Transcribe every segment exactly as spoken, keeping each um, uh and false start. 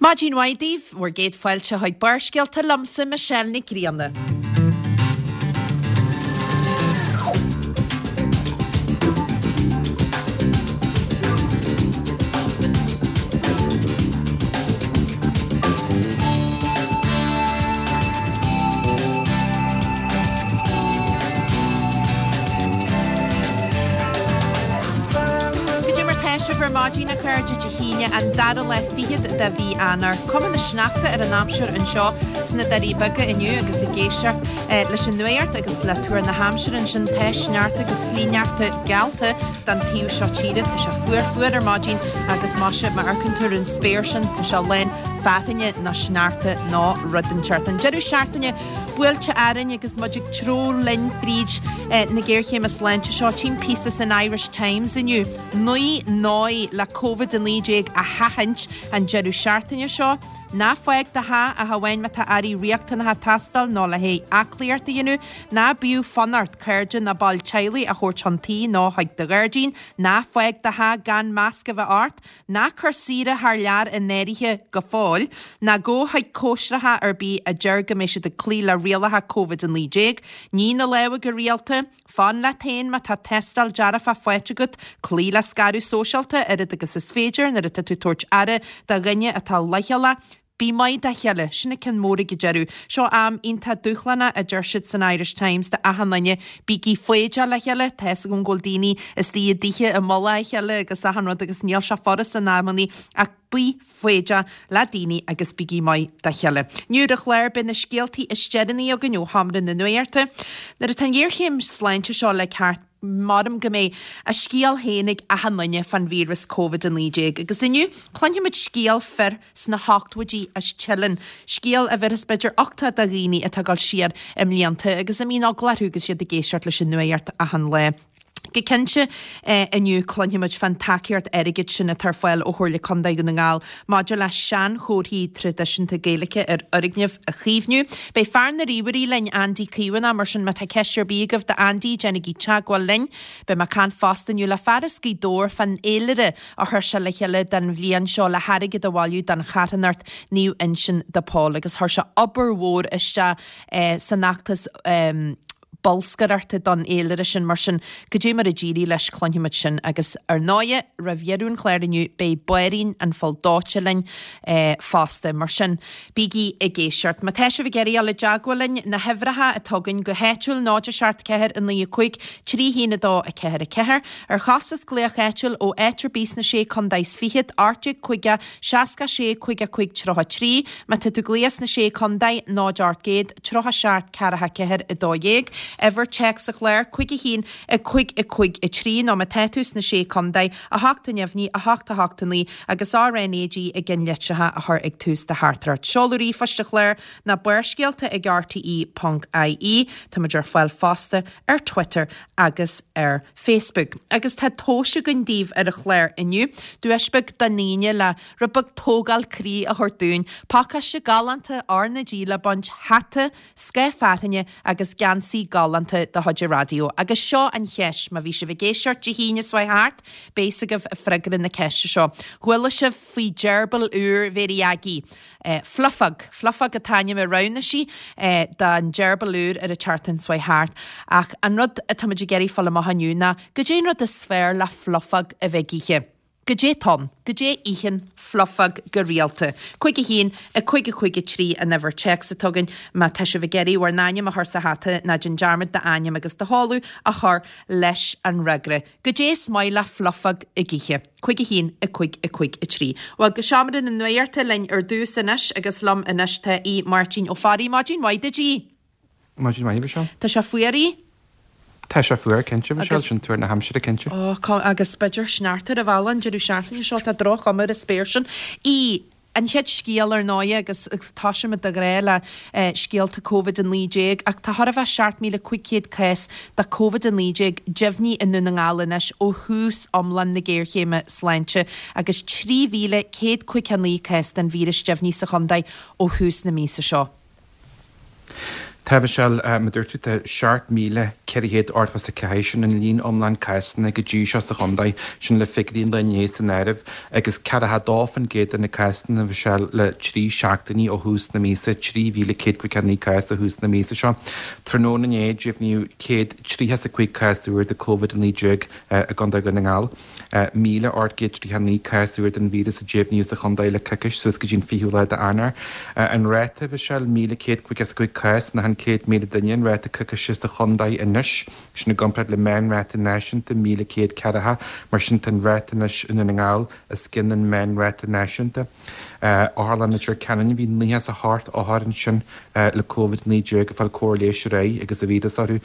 Maidin mhaith daoibh, bhur gcéad fáilte chuig Barrscéalta liomsa Michelle Nic Grianna. Cad é mar tá sibh ar maidin a chairde Dé hAoine an dara lá fichead de mhí Eanáir. Cuma na sneachta ar an aimsir anseo sna Doirí Beaga inniu agus ag éisteacht leis an nuacht agus le tuar na haimsire ansin tá sneachta agus flichshneachta geallta don taobh seo tíre. Tá sé fuar fuar ar maidin agus maise má amharcann tú ar an spéir sin tá sé lán fearthainne nó sneachta nó rud inteacht. An deireadh seachtaine buailte orainn agus muid ag treabhadh linn fríd na géarchéime sláinte seo. Tchím píosa san Irish Times inniu. Naoi ndóigh le Covid a naoi déag a sheachaint an deireadh seachtaine seo. Ná fág do theach ach amháin má tá earraí riachtanacha ag teastáil nó le haghaidh aclaíocht a dhéanamh. Ná bíodh fonn ort cairde nó baill teaghlaigh a thabhairt chun tí nó chuig do ghairdín. Ná fág do theach gan masc a bheith ort. Ná cuir saoire thar lear in áirithe go fóill. Ná gabh chuig cóisreacha ar bith a deir go mbeidh siad ag cloí le rialacha Covid a naoi déag. Nigh na lámha go rialta. Fan leat féin má tá tástáil dearfach faighte agat, cloí le scaradh sóisialta oiread agus is féidir nuair atá tú ag tabhairt aire do dhuine atá leochaileach. Bí maith dá chéile, sin an ceann mór ag an deireadh. Seo am iontach dúshlánach, a deir siad san Irish Times, do achan duine. Bígí foighdeach le chéile, tá fhios agam go bhfuil daoine istigh i dtithe i mullach a chéile agus achan rud agus níl sé furast in amannaí ach bí foighdeach le daoine agus bígí maith dá chéile. Inniu ar an chlár beidh na scéaltaí is deireanaí againn ó sheomra na nuachta. Nuair atá an ghéarchéim sláinte seo le thart, maram go mbeidh a scéal féin ag achan duine fán víreas Covid a naoi déag. Agus inniu, cluinfimid scéal fir sna hochtóidí as Teileann, scéal a bhéarfas b'fhéidir uchtach do dhaoine atá ag dul siar i mblianta agus a mbíonn eagla orthu agus iad ag éisteacht leis an nuacht achan lá. Go cinnte, inniu cluinfimid fán tacaíocht airgid sin atá ar fáil ó Chomhairle Contae Dhún na nGall maidir le seanchomharthaí traidisiúnta Gaeilge ar fhoirgnimh a chaomhnú. Beidh fear na ríomhairí linn, Andy Caomhánach, mar sin má tá ceist ar bith agaibh d'Andy, déanaigí teagmháil linn. Beidh mé ag caint fosta inniu le fear as Gaoth Dobhair fán fhéilire a chuir sé le chéile don bhliain seo le hairgead a bhailiú don charthanacht Naomh Uinseann de Pól agus chuir sé obair mhór isteach san fheachtas bolscaireachta don fhéilire sin. Mar sin, cad é mar a d'éirigh leis, cluinfimid sin. Agus ar ndóighe, roimh dheireadh an chláir inniu, beidh Báirín an Phoill Dóite linn fosta. Mar sin, bígí ag éisteacht. Má tá sibh ag iarraidh dul i dteagmháil linn, na huimhreacha atá againn go háitiúil, náid a seacht ceathair a naoi a cúig, trí haon a dó a ceathair a ceathair. Ar chostas glaoch áitiúil ó áit ar bith sna sé contae is fichead, ocht déag caoga, seasca sé, caoga cúig, tríocha trí. Má tá tú ag glaoch sna sé contae, náid ocht gcéad, tríocha seacht, ceathracha ceathair, a dó dhéag. Uimhir téacs an chláir, cúig a haon, a cúig, a cúig, a trí, nó má tá tú sna sé contae, a hocht a neamhní, a hocht, a hocht, a naoi, agus R N A G i gceannlitreacha a chur ag tús do theachtaireacht. Seoladh ríomhphoist an chláir ná Barrscéalta ag R T E ponc I E. Táimid ar fáil fosta ar Twitter agus ar Facebook. Agus tá tomhais againn daoibh ar an chlár inniu. Duais beag don aoinne le rud beag tógáil croí a thabhairt dúinn. Pacáiste galánta R na G le baint, hata, scáth fearthainne agus geansaí galánta de chuid an raidió. Agus seo an cheist, má bhí sibh ag éisteacht Dé hAoine seo thart, beidh fhios agaibh freagra na ceiste seo. Chuala sibh faoi gerbil úr Mhéirí Aggie? Fluffog. Fluffog an t-ainm a roghnaigh sí don gerbil úr ar an tseachtain seo thart. Ach an rud atáimid ag iarraidh fáil amach inniu ná, goidé an rud is fearr le Fluffog a bheith ag ithe? Goidé atá ann? Goidé a itheann Fluffog go rialta? Cúig a haon, a cúig a cúig a trí an uimhir téacs atá againn má tá sibh ag iarraidh bhur n-ainm a chur sa hata ná déan dearmad d'ainm agus do sheoladh a chur leis an fhreagra. Goidé is maith le Fluffog ag ithe? Cúig a haon, a cúig a cúig a trí. Bhuel, go seomra na nuachta linn ar dtús anois agus liom anois tá Aodh Máirtín Ó Fearraigh. Maidin mhaith duit, Aodh. Maidin mhaith, a Mhichelle. Tá sé fuar, Aodh? Tá sé fuar, cinnte, a Mhichelle, sin tuar na haimsire, cinnte. Ó, agus b'fhéidir sneachta ar an bhealach an deireadh seachtaine seo, tá droch-chuma ar an spéir sin. Aodh, an chéad scéal ar ndóighe, agus toisímid de ghnáth le scéalta Covid a naoi déag, ach tá chóir a bheith seacht míle cúig chéad cás de Covid a naoi déag deimhnithe i nDún na nGall anois ó thús iomlán na géarchéime sláinte agus trí mhíle céad caoga a naoi cás den víreas deimhnithe sa chontae ó thús na míosa seo. Tá, a Mhichelle, mar a dúirt tú, tá seacht míle ceithre chéad ochtó is a ceathair, sin an líon iomlán cásanna go dtí seo sa chontae, sin le figiúirí an lae inné san áireamh, agus ceathracha dó faoin gcéad de na cásanna, a Mhichelle, le trí seachtainí ó thús na míosa, trí mhíle céad caoga naoi cás ó thús na míosa seo. Tráthnóna inné, deimhníodh céad tríocha is a cúig cás úr de Covid a naoi déag i gContae Dhún na nGall. míle ocht gcéad tríocha naoi cás úr den víreas a deimhníodh sa chontae le coicís suas go dtí an fichiú lá d'Eanáir. An ráta, a Mhichelle, míle céad caoga is a cúig cás in achan céad míle duine an ráta coicíse sa chontae anois, sin i gcomparáid le meánráta náisiúnta míle céad ceathracha. Mar sin tá an ráta anois i nDún na nGall os cionn an meánráta náisiúnta. Otharlann Leitir Ceanainn, bhí naocha is a hocht othar ansin le Covid naoi déag ag fáil cóir leighis aréir agus an víreas orthu,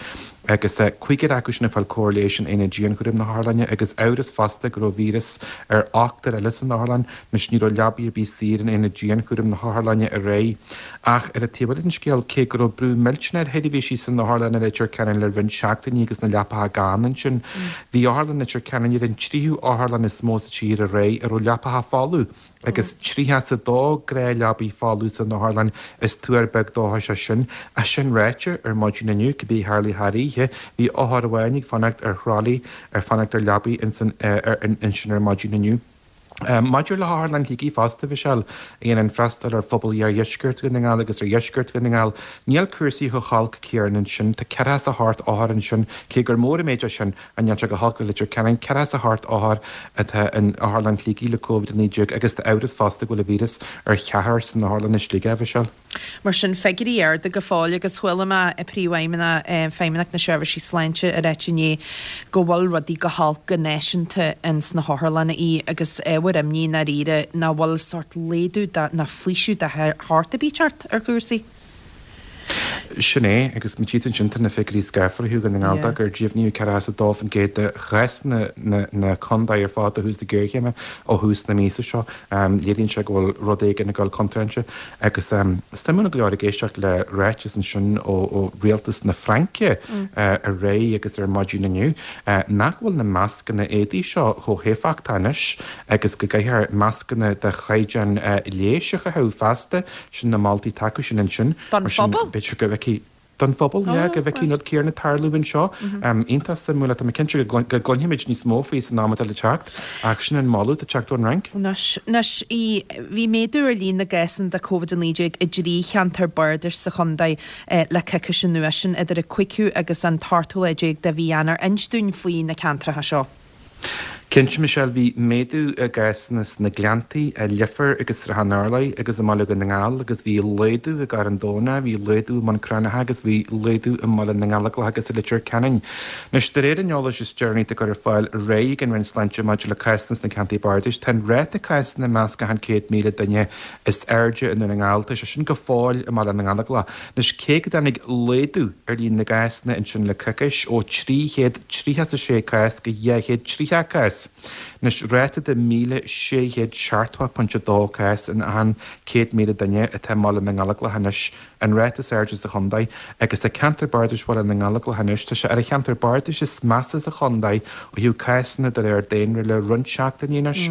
agus cúigear acu sin ag fáil cóir leighis in aonad dianchúraim na hotharlainne, agus amhras fosta go raibh víreas ar ochtar eile san otharlann. Anois ní raibh leabaí ar bith saor in aonad dianchúraim na hotharlainne aréir. Ach ar an taobh eile den scéal, cé go raibh brú millteanach ar sheirbhísí san otharlann i Leitir Ceanainn le roinnt seachtainí agus na leapacha gann ansin, bhí Otharlann Leitir Ceanainn ar an tríú otharlann is mó sa tír aréir a raibh leapacha folamh. Agus tríocha is a dó gnáthleabaí folamh san otharlann, is tuar beag dóchais é sin. Ach sin ráite, ar maidin inniu, cibé a tharlaigh thar oíche, bhí othar amháin ag fanacht ar thralaí, ar fanacht ar leabaí ansin ar maidin inniu. Maidir le hOtharlann Shligigh fosta, a Mhichelle, a dhéanann freastal ar phobal iardheisceart Dhún na nGall agus ar dheisceart Dhún na nGall, níl cúrsaí chomh holc céanna ansin. Tá ceathracha is a hocht othar ansin, cé gur mór an méid é sin, ach níl sé chomh holc le Leitir Ceanainn. Ceathracha is a hocht othar atá in Otharlann Shligigh le Covid a naoi déag agus tá amhras fosta go bhfuil an víreas ar cheathrar san otharlann i Sligeach, a Mhichelle. Mar sin, figiúirí arda go fóill agus chuala mé Príomhfheidhmeannach Feidhmeannacht na Seirbhísí Sláinte ag ráit inné go bhfuil rudaí go holc go náisiúnta ins na hotharlanna í agus ábhar imní i ndáiríre nach bhfuil sórt laghdú ná faoiseamh de shórt ar bith ag teacht ar chúrsaí. Sin é, agus má tchí tú ansin tá na figiúirí scáfara thú Dhún na nGall gur deimhníodh ceathracha is a dó faoin gcéad de chásanna na contae ar fad ó thús na géarchéime ó thús na míosa seo. Léiríonn sé go bhfuil rud éigin ag dul contráilte agus suimiúil go leor ag éisteacht le ráiteas ansin ó rialtas na Fraince aréir agus ar maidin inniu nach bhfuil na mascanna éadaí seo chomh héifeachtach anois agus go gcaithfear mascanna de chaighdeán leighis a chaitheamh feasta, sin na moltaí atá acu sin ansin. Don phobal? B'fhéidir go bhfeicfidh don phobal, yeah, go bhfeicfidh an rud céanna tarlú anseo. Iontach suimiúil, tá mé cinnte go gcluinfimid níos mó faoi san am atá le teacht, ach sin an moladh atá ag teacht ón Fhrainc. Anois, anois, bhí méadú ar líon na gcásanna de Covid a naoi déag i dtrí cheantar bardais sa chontae le coicís anuas, sin idir an cúigiú agus an t-ochtú lá déag de mhí Eanáir. Inis dúinn faoi na ceantracha seo. Cinnte, Michelle, bhí méadú i gcásanna sna Gleanntaí, i Leifear agus Srath an Urláir agus i mBaile Dhún na nGall agus bhí laghdú i gCarn Domhnach, bhí laghdú i mBun Cranncha agus bhí laghdú i mBaile na nGallóglach agus i Leitir Ceanainn. Anois, de réir an eolais is deireanaí atá curtha ar fáil aréir ag an Roinn Sláinte maidir le cásanna sna ceantair bardais, tá an ráta cásanna i measc achan céad míle duine is airde i nDún na nGall. Tá sé sin go fóill i mBaile na nGallóglach. Anois, cé go dtáinig laghdú ar líon na gcásanna ansin le coicís, ó trí chéad tríocha is a sé cás go dhá chéad tríocha cás, Anois, ráta de míle sé chéad seachtó pointe a dó cás in achan céad míle duine atá i mBaile na nGallóglach anois, an ráta is airde sa chontae, agus tá ceantar bardais Bhaile na nGallóglach anois, tá sé ar an cheantar bardais is measa sa chontae ó thaobh cásanna de réir daonra le roinnt seachtainí anois.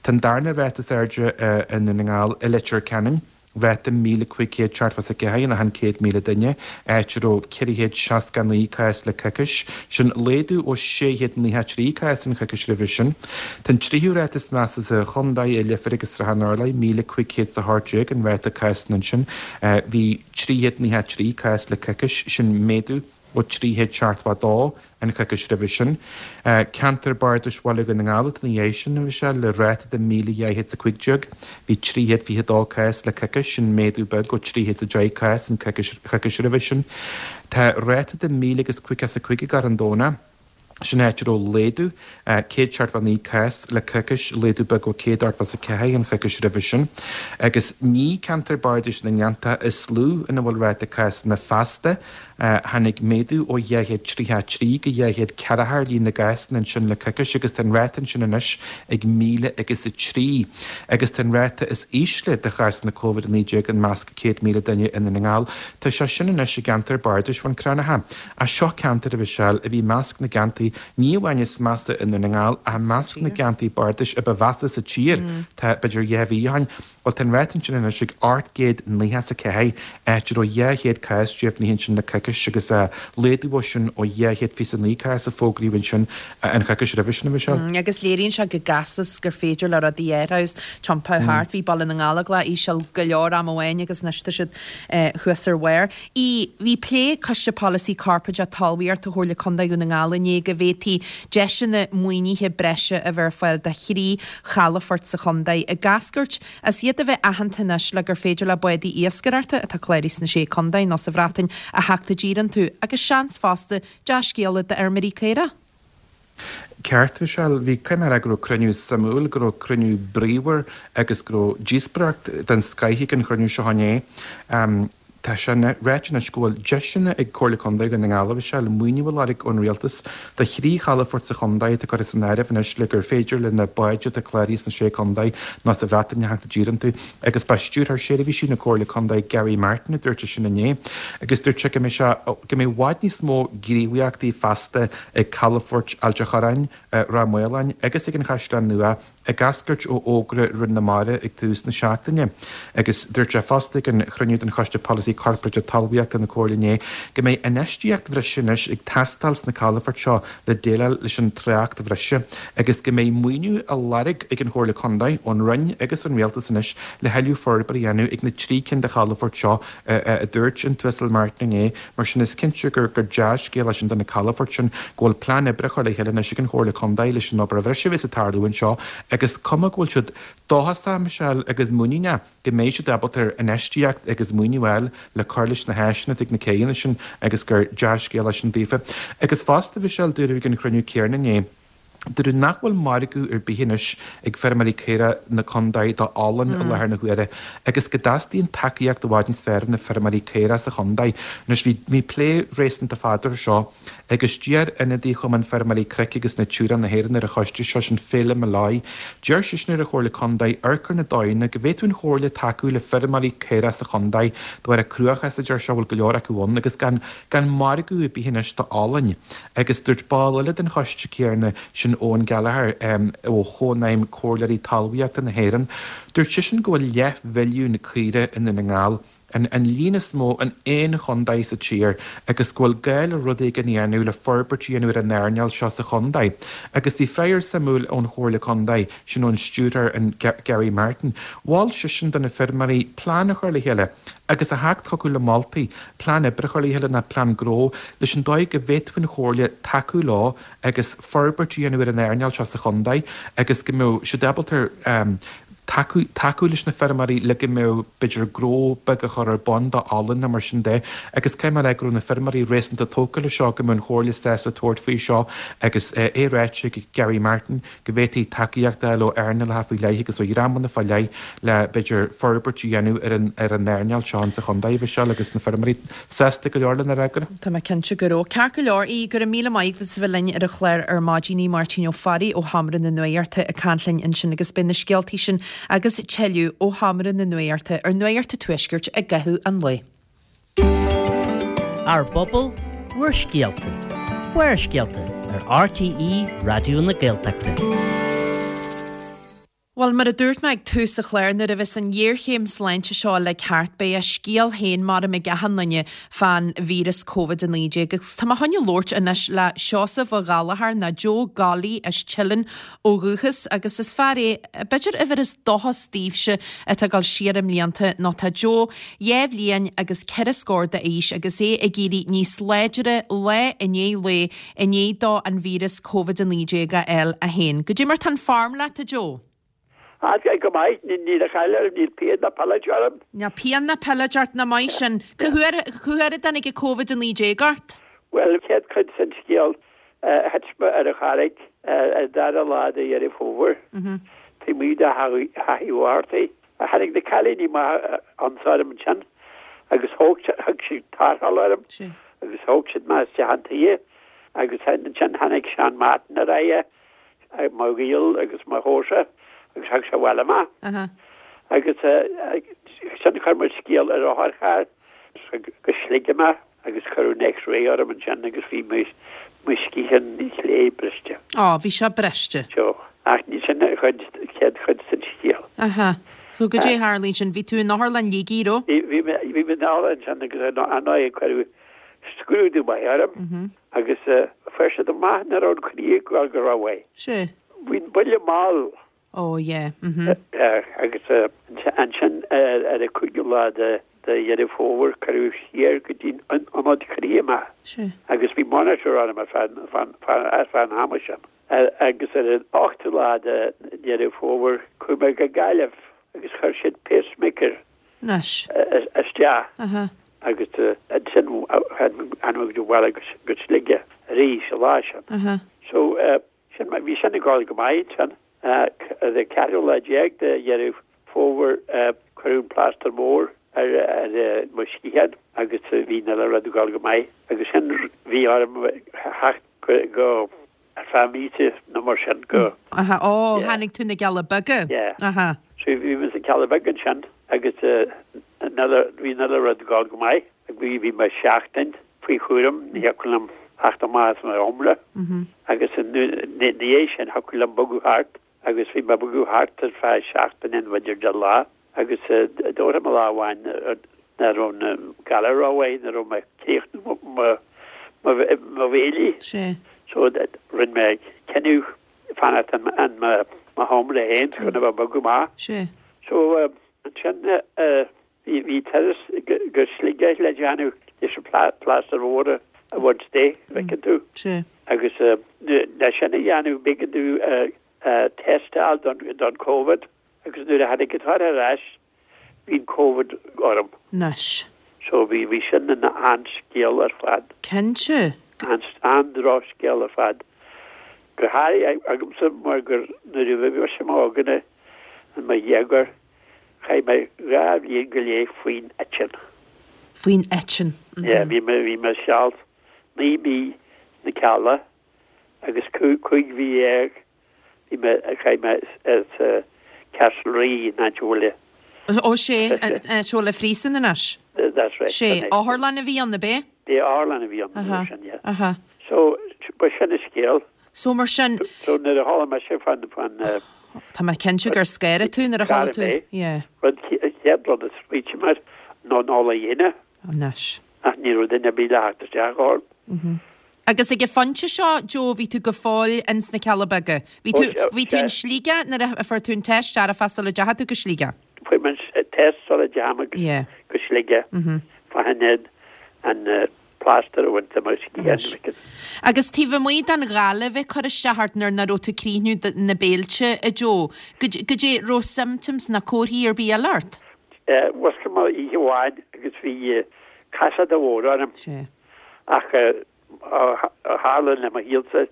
Tá an darna ráta is airde i nDún na nGall i Leitir Ceanainn. Ráta míle cúig chéad seachtó is a ceathair in achan céad míle duine, áit a raibh ceithre chéad seasca naoi cás le coicís, sin laghdú ó sé chéad nócha trí cás an choicís roimhe sin. Tá an tríú ráta is measa sa chontae i Leifear agus Srath an Urláir, míle cúig chéad is a hocht déag an ráta cásanna ansin. Bhí trí chéad nócha trí cás le coicís, sin méadú ó trí chéad seachtó a dó an choicís roimhe sin. Ceantar Bardais Bhaile Dhún na nGall atá ina dhiaidh sin, a Mhichelle, le ráta de míle dhá chéad is a cúig déag. Bhí trí chéad fiche dó cás le coicís, sin méadú beag ó trí chéad is a deich cás an choicís roimhe sin. Tá ráta de míle agus caoga is a cúig i gCarn Domhnach. Sin áit a raibh laghdú céad seachtó naoi cás le coicís, laghdú beag ó céad ochtó is a ceathair an choicís roimhe sin. Agus ní ceantar bardais na nGleanntach is lú ina bhfuil ráta cásanna feasta. Tháinig méadú ó dhá chéad tríocha a trí go dhá chéad ceathracha ar líon na gcásanna ansin le coicís agus tá an ráta ansin anois ag míle agus a trí. Agus tá an ráta is ísle de chásanna Covid a naoi déag i measc céad míle duine i nDún na nGall. Tá sé sin anois i gceantar bardais Bhun Cranncha. Ach seo ceantar, a Mhichelle, a bhí i measc na gceantair Ciarraí, ní amháin is measa i nDún na nGall ach i measc na gceantaí bardais a ba mheasa sa tír, tá b'fhéidir dhá mhí ó shin. Bhuel, tá an ráta ansin anois ag ocht gcéad nócha is a ceathair, áit a raibh dhá chéad cás deimhnithe ansin le coicís agus laghdú ó sin ó dhá chéad fiche is a naoi cás a fógraíodh ansin an choicís roimhe sin, a Mhichelle. Agus léiríonn sé go gasta is gur féidir le rudaí athrú is tiompú thart. Bhí Baile na nGallóglach íseal go leor am amháin agus anois tá siad thuas ar bharr. ii, Bhí plé ag Coiste Polasaí Corparáideach Talmhaíochta Chomhairle Contae Dhún na nGall inné go bhféadfaí deiseanna maoinithe breise a bheith ar fáil do thrí chalafort sa chontae ag eascairt as iad a bheith aitheanta anois le gur féidir le bádaí iascaireachta atá cláraithe sna Sé Contae nó sa Bhreatain a theacht i dtír iontu agus seans fosta dea-scéala d'fheirmeoirí caorach. Ceart, Michelle. Bhí caithfidh mé a rá go raibh cruinniú suimiúil, go raibh cruinniú bríomhar agus go raibh díospóireacht den scoith ag an chruinniú seo inné. Tá sé ráite anois go bhfuil deiseanna ag Comhairle Contae Dhún na nGall, a Mhichelle, maoiniú a lorg ón Rialtas do thrí chalafort sa chontae atá curtha san áireamh anois le gur féidir le na báid atá cláraithe sna Sé Contae nó sa Bhreatain a theacht i dtír iontu agus ba Stiúrthóir Seirbhísí na Comhairle Contae Gary Martin a dúirt é sin inné agus dúirt sé go mbeidh sé go mbeidh i bhfad níos mó gníomhaíochtaí feasta ag calafoirt Ailt a' Chorráin, Ráth Maoláin agus ag an Chaisleán Nua ag eascairt ó fhógra Roinn na Mara ag tús na seachtaine. Agus dúirt sé fosta ag an chruinniú den Choiste Polasaí Corparáideach Talmhaíochta na Comhairle inné go mbeidh infheistíocht bhreise anois ag teastáil sna calafoirt seo le déileáil leis an trácht bhreise agus go mbeidh maoiniú á lorg ag an Chomhairle Contae ón Roinn agus ón Rialtas anois le thuilleadh forbartha a dhéanamh ag na trí cinn de chalafoirt seo a dúirt an tUasal Martin inné. Mar sin is cinnte gur dea-scéal é sin do na calafoirt sin go bhfuil plean oibre á chur le chéile anois ag an Chomhairle Contae leis an obair bhreise a bheas ag tarlú anseo agus cuma go bhfuil siad dóchasach, Michelle, agus muiníneach go mbeidh siad ábalta ar infheistíocht agus maoiniú a fháil le cur leis na háiseanna atá ag na céanna sin agus gur dea-scéal é sin daofa. Agus fosta, Michelle, dúradh ag an chruinniú céanna inné, dúradh nach bhfuil margadh ar bith anois ag feirmeoirí caorach na contae do olann i láthair na huaire agus go dteastaíonn tacaíocht i bhfad níos fearr do na feirmeoirí caorach sa chontae. Anois bhí bhí plé réasúnta fada air seo agus d'iarr ionadaí Chumann Feirmeoirí Cnoic agus Natura na hÉireann ar an choiste seo, sin Phelim Molloy, d'iarr seisean ar an Chomhairle Contae amharc ar na dóigheanna go bhféadfadh an Chomhairle tacú le feirmeoirí caorach sa chontae de bharr an cruachás a deir sé a bhfuil go leor acu ann agus gan gan margadh ar bith anois do olann. Agus dúirt ball eile den choiste céanna, sin Eoin Gallagher ó Chónaidhm Comhairleoirí Talmhaíochta na hÉireann, dúirt seisean go bhfuil leathmhilliún caora i nDún na nGall, an líon is mó in aon chontae sa tír, agus go bhfuil gá le rud éigin a dhéanamh le forbairt a dhéanamh ar an earnáil seo sa chontae. Agus bhí freagra suimiúil ón Chomhairle Contae, sin ón stiúrthóir an Gary Martin. Mhol seisean do na feirmeoirí plean a chur le chéile agus a theacht chucu le moltaí, plean oibre a chur le chéile ná plean gnó, leis an dóigh go bhféadfadh an Chomhairle tacú leo agus forbairt a dhéanamh ar an earnáil seo sa chontae agus go mbeadh siad ábalta tacú tacú leis na feirmeoirí le go mbeadh b'fhéidir gnó beag a chur ar bun do olann nó mar sin de agus caithfidh mé a rá go raibh na feirmeoirí réasúnta tógtha le seo go mbeadh an Chomhairle sásta tabhairt faoi seo agus é ráite ag Gary Martin go bhféadfaí tacaíocht a fháil ó earnálacha faoi leith agus ó dhreamanna fá leith le b'fhéidir forbairt a dhéanamh ar an ar an earnáil seo insa chontae, Mhichelle, agus na feirmeoirí sásta go leor lena fhreagra. Tá mé cinnte go raibh. Ceart go leor, í, go raibh míle maith agat as a bheith linn ar an chlár ar maidin, í Máirtín Ó Fearraigh ó Sheomra na Nuachta ag caint linn ansin agus beidh na scéaltaí sin agus tuilleadh ó Sheomra na Nuachta ar Nuacht an Tuaiscirt i gcaitheamh an lae. Ár bPobal, Bhur Scéalta, Barrscéalta ar RTÉ Raidió na Gaeltachta. Bhuel, mar a dúirt mé ag tús an chláir, nuair a bheas an ghéarchéim sláinte seo uilig thart, beidh a scéal féin maram ag achan duine fán víreas Covid a naoi déag. Agus tá mé chun labhairt anois le Seosamh Ó Gallchóir, nó Joe Golly as Teileann ó dhúchas, agus is fear é, b'fhéidir a bheireas dóchas daoibhse atá ag dul siar i mblianta, nó tá Joe dhá bhliain agus ceithre scór d'aois agus é ag éirí níos láidre lá i ndiaidh lae i ndiaidh dó an víreas Covid a naoi déag a fháil é féin. Goidé mar tá an form leat, a Joe? Ah, go maith, níl a chaill orm, níl pian ná pilid orm. Níl pian ná pilid ort, nach maith sin. Cá huair, cá huair a dtáinig an Covid a naoi déag ort? Bhuel, chéad chuid den scéal, thit mé ar an charraig an dara lá de Dheireadh Fómhair, taobh amuigh de Theach Uí Mhártaigh. Tháinig na cailíní maithe ionsaí orm ansin agus thóg, thug siad tarrtháil orm agus thóg siad mé isteach chun toighe agus ansin tháinig Seán Martin ar aghaidh. mo ghaol agus mo chomharsa agus thug sé abhaile mé. Agus sin chuir muid scéal ar otharcharr go Sligeach mé agus cuireadh an X-ray orm ansin agus bhí mé mo sciathán chlé briste. Ó, bhí sé briste. So, ach ní sin an chuid, chéad chuid den scéal. Aha. So goidé a tharla ansin, bhí tú in otharlann Shligigh, raibh? Bhí, bhí mé, bhí mé in otharlann ansin agus ar ndóigh cuireadh scrúdú maith orm agus fuair siad amach nach raibh an croí ag dul go rómhaith. Sé. Bhí an buille mall. Ó, yeah. Mhm. Agus ansin ar an cúigiú lá de Dheireadh Fómhair cuireadh siar go dtí an ionad croí mé. Sé. Agus bhí monitor orm ar feadh ar feadh an ama sin. Agus ar an ochtú lá de Dheireadh Fómhair chuaigh mé go Gaillimh agus chuir siad pacemaker Anois. isteach. Aha. Agus ansin tháinig mé abhaile go Sligeach arís an lá sin. Aha. So sin bhí sin ag dul go maith ansin. Ar an ceathrú lá déag de Dheireadh Fómhair cuireadh an plástar mór ar ar mo sciathán agus bhí an uile rud ag dul go maith. Agus sin bhí orm theacht go ar feadh míosa nó mar sin go. Aha. Ó, tháinig tú na Cealla Beaga. Yeah. Aha. So bhí mé sna Cealla Beaga ansin agus an uile bhí an uile rud ag dul go maith. Bhí bhí mé seachtain faoi chúram, ní thiocfadh liom theacht amach as mo sheomra. Agus ina dhiaidh sin thiocfadh liom bogadh thart agus bhí mé ag bogadh thart ar feadh seachtaine nó b'fhéidir deich lá agus dúirt mé lá amháin nach raibh na galar rómhaith, nach raibh mé ag críochnú mo mo bhéilí. Sé. So rinne mé cinneadh fanacht in mo sheomra féin chun a bheith ag bogadh amach. Sé. So ansin bhí bhí turas go Sligeach le déanamh leis an plástar mór a bhaint de, bhfeiceann tú. Sé. Agus le sin a dhéanamh b'éigean domh test a fháil don don Covid agus nuair a tháinig an toradh ar ais bhí an Covid orm. Anois. So bhí bhí sin ina an-scéal ar fad. Cinnte. An-drochscéal ar fad. Go háirithe agamsa mar gur nuair a bhí mise i m'óige i mo dhéagóir chaith mé dhá bhliain go leith faoin eitinn. Faoin eitinn. Yeah, bhí mé bhí mé seal naoi mí sna Cealla agus cúig mhí dhéag bhí mé chaith mé sa Castlerea in áit a bhfuil Ó sé, seo le phríosún anois. That's right. Sé, otharlann a bhí ann, ab ea? Bhí otharlann a bhí ann nuair sin, yeah. Aha. So ba sin an scéal. So mar sin. So nuair a chuala mise fan fan Tá mé cinnte gur scanraigh tú nuair a chuala tú. Yeah. Rud chéad rud a smaointigh mé ná an ola dhéine. Anois. Ach ní raibh duine ar bith le theacht isteach orm. Mhm. Agus ag an phointe seo, Joe, bhí tú go fóill ins na Cealla Beaga. Bhí tú bhí tú in Sligeach nuair a fuair tú an test dearfach sula dteachaigh tú go Sligeach? Fuair mé an test sula dteachaigh mé go Sligeach. Fá choinne an plástar a bhaint de mo sciath. Agus taobh amuigh den ghal a bheith ag cur isteach ort nuair nach raibh tú ag críochnú na béilte, a Joe, goidé raibh symptoms ná comharthaí ar bith eile ort? Mhúscail mé oíche amháin agus bhí casacht mhór orm. Ach ó tharla le mo shaolsa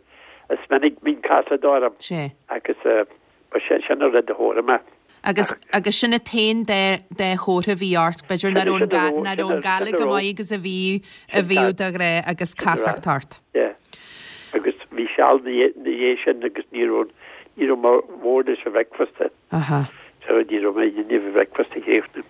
is minic bíonn casacht orm. Sé. Agus ba sin sin an rud a chonaic mé. Agus agus sin an t-aon dá dá chomhartha a bhí ort, b'fhéidir nach raibh an nach raibh an gal go maith agus a bhí a bhíodh de ghnáth agus casacht ort. Yeah. Agus bhí seal ina dhiaidh sin agus ní raibh ní raibh mé bhord leis an bhreakfast. Aha. So ní raibh mé in ann breakfast a chríochnú.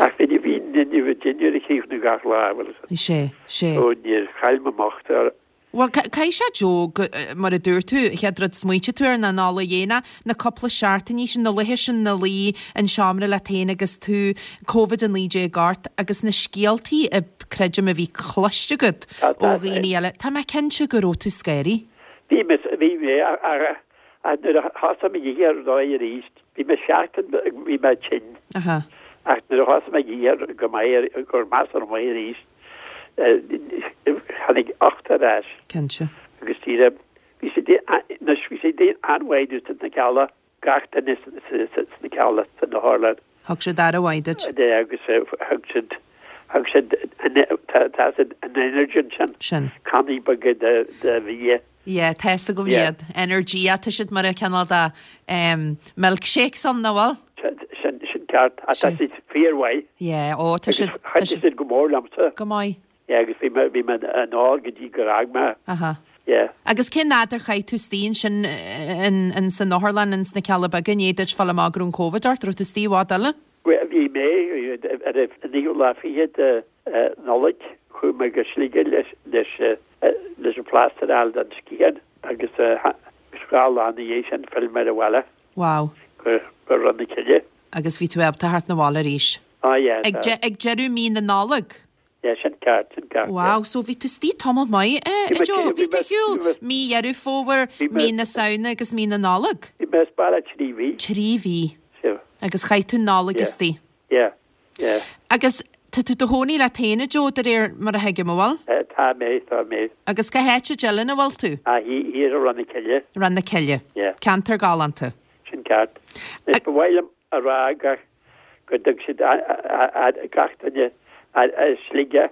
Ach bhí bhí in ann dinnéar a chríochnú gach lá, bhfuil a fhios agat. Sé, sé. So níor chaill mé m'ucht ar Bhuel, caithfidh sé, Joe, go, mar a dúirt tú, an chéad rud smaointigh tú air ná an ola dhéine, na cúpla seachtainí sin, na laethe sin ina luí in seomra leat féin agus tú Covid a naoi déag ort agus na scéaltaí a creidim a bhí cloiste agat ó dhaoine eile, tá mé cinnte go raibh tú scary. Bhí mé, bhí mé, ach nuair a thosaigh mé ag ithe ar ndóigh arís, bhí mé seachtain, bhí mé tinn. Ach nuair a thosaigh mé ag ithe go maith, go measartha maith arís, tháinig ucht ar ais. Cinnte. Agus díreach, bhí sé anois bhí sé an-mhaith domhsa sna Cealla, gach duine sna Cealla san otharlann. Thug siad aire mhaith duit. De agus thug siad thug siad tá siad an energy sin. Sin. Cannaí beaga de de bhia. Yeah, tá fhios agam iad. Energy, tá siad mar a cineál de milkshakes ann, nach bhfuil? Sin sin ceart. Tá siad fíormhaith. Yeah, ó tá siad Agus chuidigh siad go mór liomsa. Go maith. Yeah, agus bhí mé bhí mé in ól go dtí gur fhág mé. Aha. Yeah. Agus cén fhad ar chaith tú istigh ansin in in san otharlann ins na Cealla Beaga i ndiaidh duit fáil amach go raibh an Covid ort, raibh tú istigh i bhfad eile? Bhí mé ar an naoú lá fichead de Nollaig Chuaigh mé go Sligeach leis leis leis an plaster a fháil don scian agus dhá lá ina dhiaidh sin phill mé abhaile. Wow. Go go Rinn na Cille. Agus bhí tú ábalta theacht 'na bhaile arís. Ah yeah. Ag de ag deireadh mí na Nollag? Yeah, sin ceart, sin ceart. Wow, so bhí tú istigh tamall maith eh, a Joe, bhí tú ar shiúl mí Dheireadh Fómhair, mí na Samhna agus mí na Nollag? Bhí mé as baile trí mhí. Trí mhí. So. Agus chaith tú Nollaig Yeah. istigh. Yeah, yeah. Agus tá tú i do chónaí leat féin a Joe de réir mar a thuigim, an bhfuil? Eh, tá mé, tá mé. Agus cá háit i dTeileann a bhfuil tú? Ah, thiar i Rann na Cille. Rann na Cille. Yeah. Ceantar galánta. Sin ceart. Is ba mhaith liom a rá gach go dtug siad gach duine i Sligeach,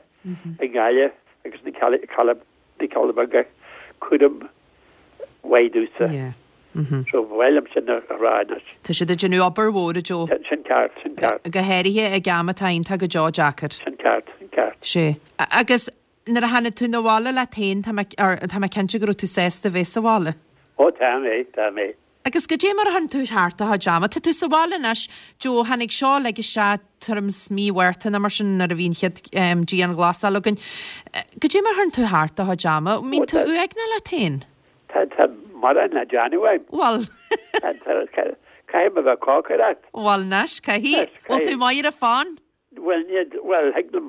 i nGaillimh agus na na Cealla Beaga cúram mhaith domhsa. Yeah. Mhm. So ba mhaith liom sin a rá anois. Tá siad ag déanamh obair mhór a Joe. Sin ceart, sin ceart. Go háirithe ag am atá iontach go deo deacair. Sin ceart, sin ceart. Sé. Agus nuair a tháinig tú 'na bhaile leat féin, tá mé tá mé cinnte go raibh tú sásta bheith sa bhaile. Ó tá mé, tá mé. Agus goidé mar a chuireann tú thart do chuid ama, tá tú sa bhaile anois, Joe, tháinig seo uilig isteach tuairim is mí Mhárta nó mar sin nuair a bhí an chéad dianghlasáil againn. Goidé mar a chuireann tú thart do chuid ama, an mbíonn tú uaigneach leat féin? Tá tá mórán le déanamh agam. Bhuel. Caithfidh mé bheith ag cócaireacht. Bhuel anois, caithfidh. Bhfuil tú maith ar an fón? Bhuel, ní, bhuel, thig liom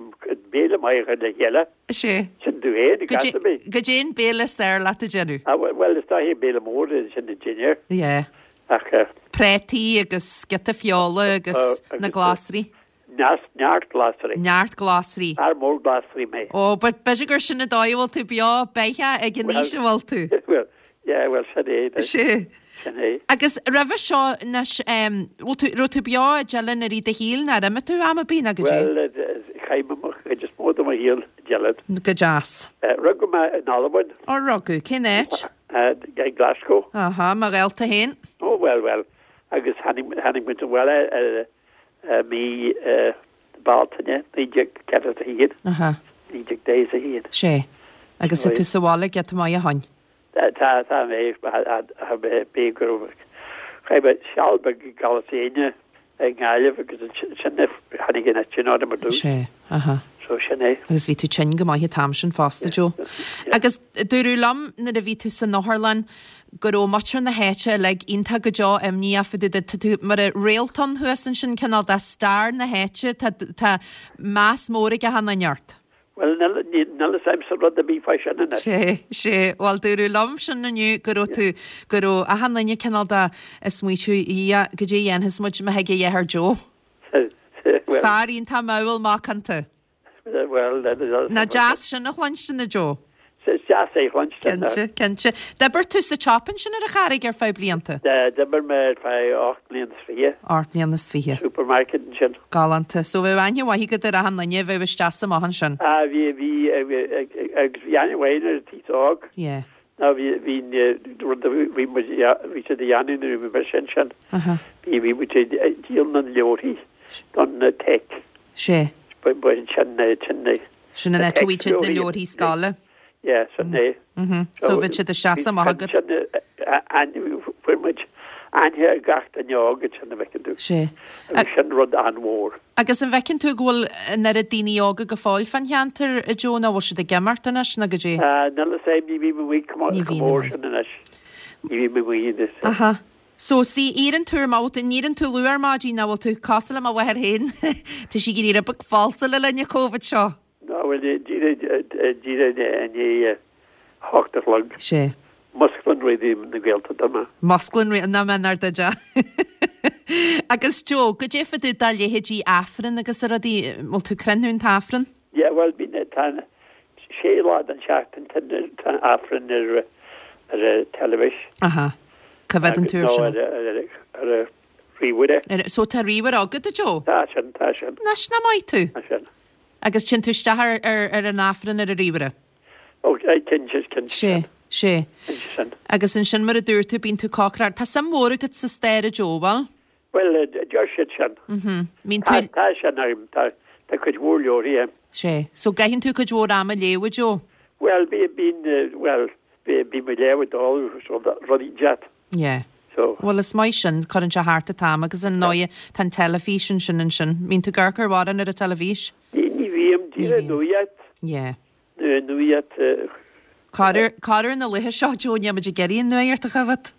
béile maith a chur le chéile. Sé. Sin tú féin, i gcás ar bith. Goidé an béile is fearr leat a dhéanamh? Ah, bhuel, is dóiche béile mór é sin an dinnéar. Yeah. Ach, eh, Préataí agus giota feola agus Oh, na agus, glasraí. Neas, neart glasraí. Neart glasraí. Fear mór glasraí mé. Ó, but b'fhéidir gur sin an dóigh a bhfuil tú beo beatha ag an aois a bhfuil tú. Well, yeah, well, sin é. Sé. Sin é. Agus roimhe seo anois, em, bhfuil tú, raibh tú beo i dTeileann i rith do shaoil nó ar imigh tú am ar bith nó goidé? Well, eh, chaith mé mo chuid is mó de mo shaol i dTeileann. Go deas. Eh, rugadh mé in Albain. Ó, rugadh, cén áit? Eh, i Glasgow. Aha, mo ghaolta féin. Ó, well, well. Agus tháinig, tháinig muid abhaile, eh, eh, mí, eh, Bealtaine, naoi déag ceathracha a haon. Aha. Naoi déag daichead a haon. Sé. Agus tá tú sa bhaile giota maith ó shin. Tá, tá, tá mé, tá mé, bí go raibh, chaith mé seal beag i gCalas Éinne i nGaillimh agus sin a tháinig an eitinn orm ar dtús. Sé, aha. So sin é. Agus bhí tú tinn go maith an t-am sin fosta, Joe. Agus dúradh liom nuair a bhí tú san otharlann go raibh muintir na háite uilig iontach go deo imníoch fá dtaobh de, tá tú mar réalt ann thuas ansin cineál de stair na háite, tá, tá meas mór ag achan duine ort. Bhuel, níl, níl, níl fhios a'msa rud ar bith fá sin anois. Sé, sé, bhuel dúradh liom sin inniu go raibh tú, go raibh achan duine cineál de ag smaoitiú, Dhia, goidé a dhéanfas muid má thig a dhath ar Joe. Well, Fear iontach modhúil macánta. well, Nach deas sin a chluinstin a Joe? Is deas é a chluinstin. Cinnte, cinnte. D'oibir tú sa tsiopa ansin ar an Charraig ar feadh blianta? D'oibir mé ar feadh ocht mbliana is fiche. Ocht mbliana is fiche. Supermarket ansin. Galánta. So bheadh aithne mhaith agat ar achan duine a bheadh isteach is amach ansin? Ah, bhí, bhí, agus bhí aithne mhaith ar an t-aos óg. Yeah. Ná bhí, bhí, rud a bhí muid, bhí siad a dhéanamh nuair a bhí mé sin sin. Aha. Bhí, bhí muid ag díol na leabharthaí don tech. Sé. Ba, ba sin, sin, Sin an áit a bhfaighidh siad na leabharthaí scoile. Yeah, sin é. Mhm. So bhí siad isteach is amach agat. Sin, fuair muid aithne ar gach duine óg ansin a bhfeiceann tú. Sé. Agus sin rud an-mhór. Agus an bhfeiceann tú go bhfuil an oiread daoine óga go fóill fán cheantar a Joe nó bhfuil siad ag imeacht anois nó goidé? Ah, níl fhios a'm, ní bhím amuigh chomh Ní bhíonn mór amuigh. sin anois. Ní bhím amuigh anois. Aha. So sí éiríonn tú ar maidin, an éiríonn tú luath ar maidin nó bhfuil tú cosúil le mo mháthair féin? Tá sí ag éirí rud beag falsa le linn an Covid seo. Ná bhfuil díreach i ndiaidh a hocht a chlog. Sé. Musclann Raidió na Gaeltachta mé. Musclann na men ar de. Agus Joe, goidé fá dtaobh de leithéidí Aifreann agus a rudaí, bhfuil tú cruinn an t-Aifreann? Yeah, well, bíonn tá sé lá den seachtain tá Aifreann ar ar an teilifís. Aha. Cá bhféadann tú ar sin? Ar ar ríomhaire. Ar- So tá ríomhaire agat a Joe? Tá sin, tá sin. Anois nach maith tú? Tá sin. Agus téann tú isteach ar, ar, ar an Aifreann ar an ríomhaire? Ó, cinnte, cinnte. Sé, sé. Cinnte sin. Agus ansin mar a dúirt tú bíonn tú ag cócaireacht. Tá suim mhór agat sa stair a Joe, bhfuil? Well, deir siad sin. Mhm. Bíonn Tá tú tá sin agam, tá tá cuid mhór leabharthaí. Sé. So gcaitheann tú cuid mhór ama ag léamh a Joe? Well, bí bín well, bí bí mé léamh dul rudaí jet. Yeah. So Well is maith sin cuireann sé thart an t-am agus ar ndóigh tá an teilifís ansin ansin. Mbíonn tú ag amharc ar mhórán ar an teilifís? Ní ní bhím Ní díreach bhím. nuaíocht. Yeah. Nó an nuaíocht. Corruair, corruair na laetha seo, Joe, níl muid ag iarraidh an nuaíocht a choimhéad.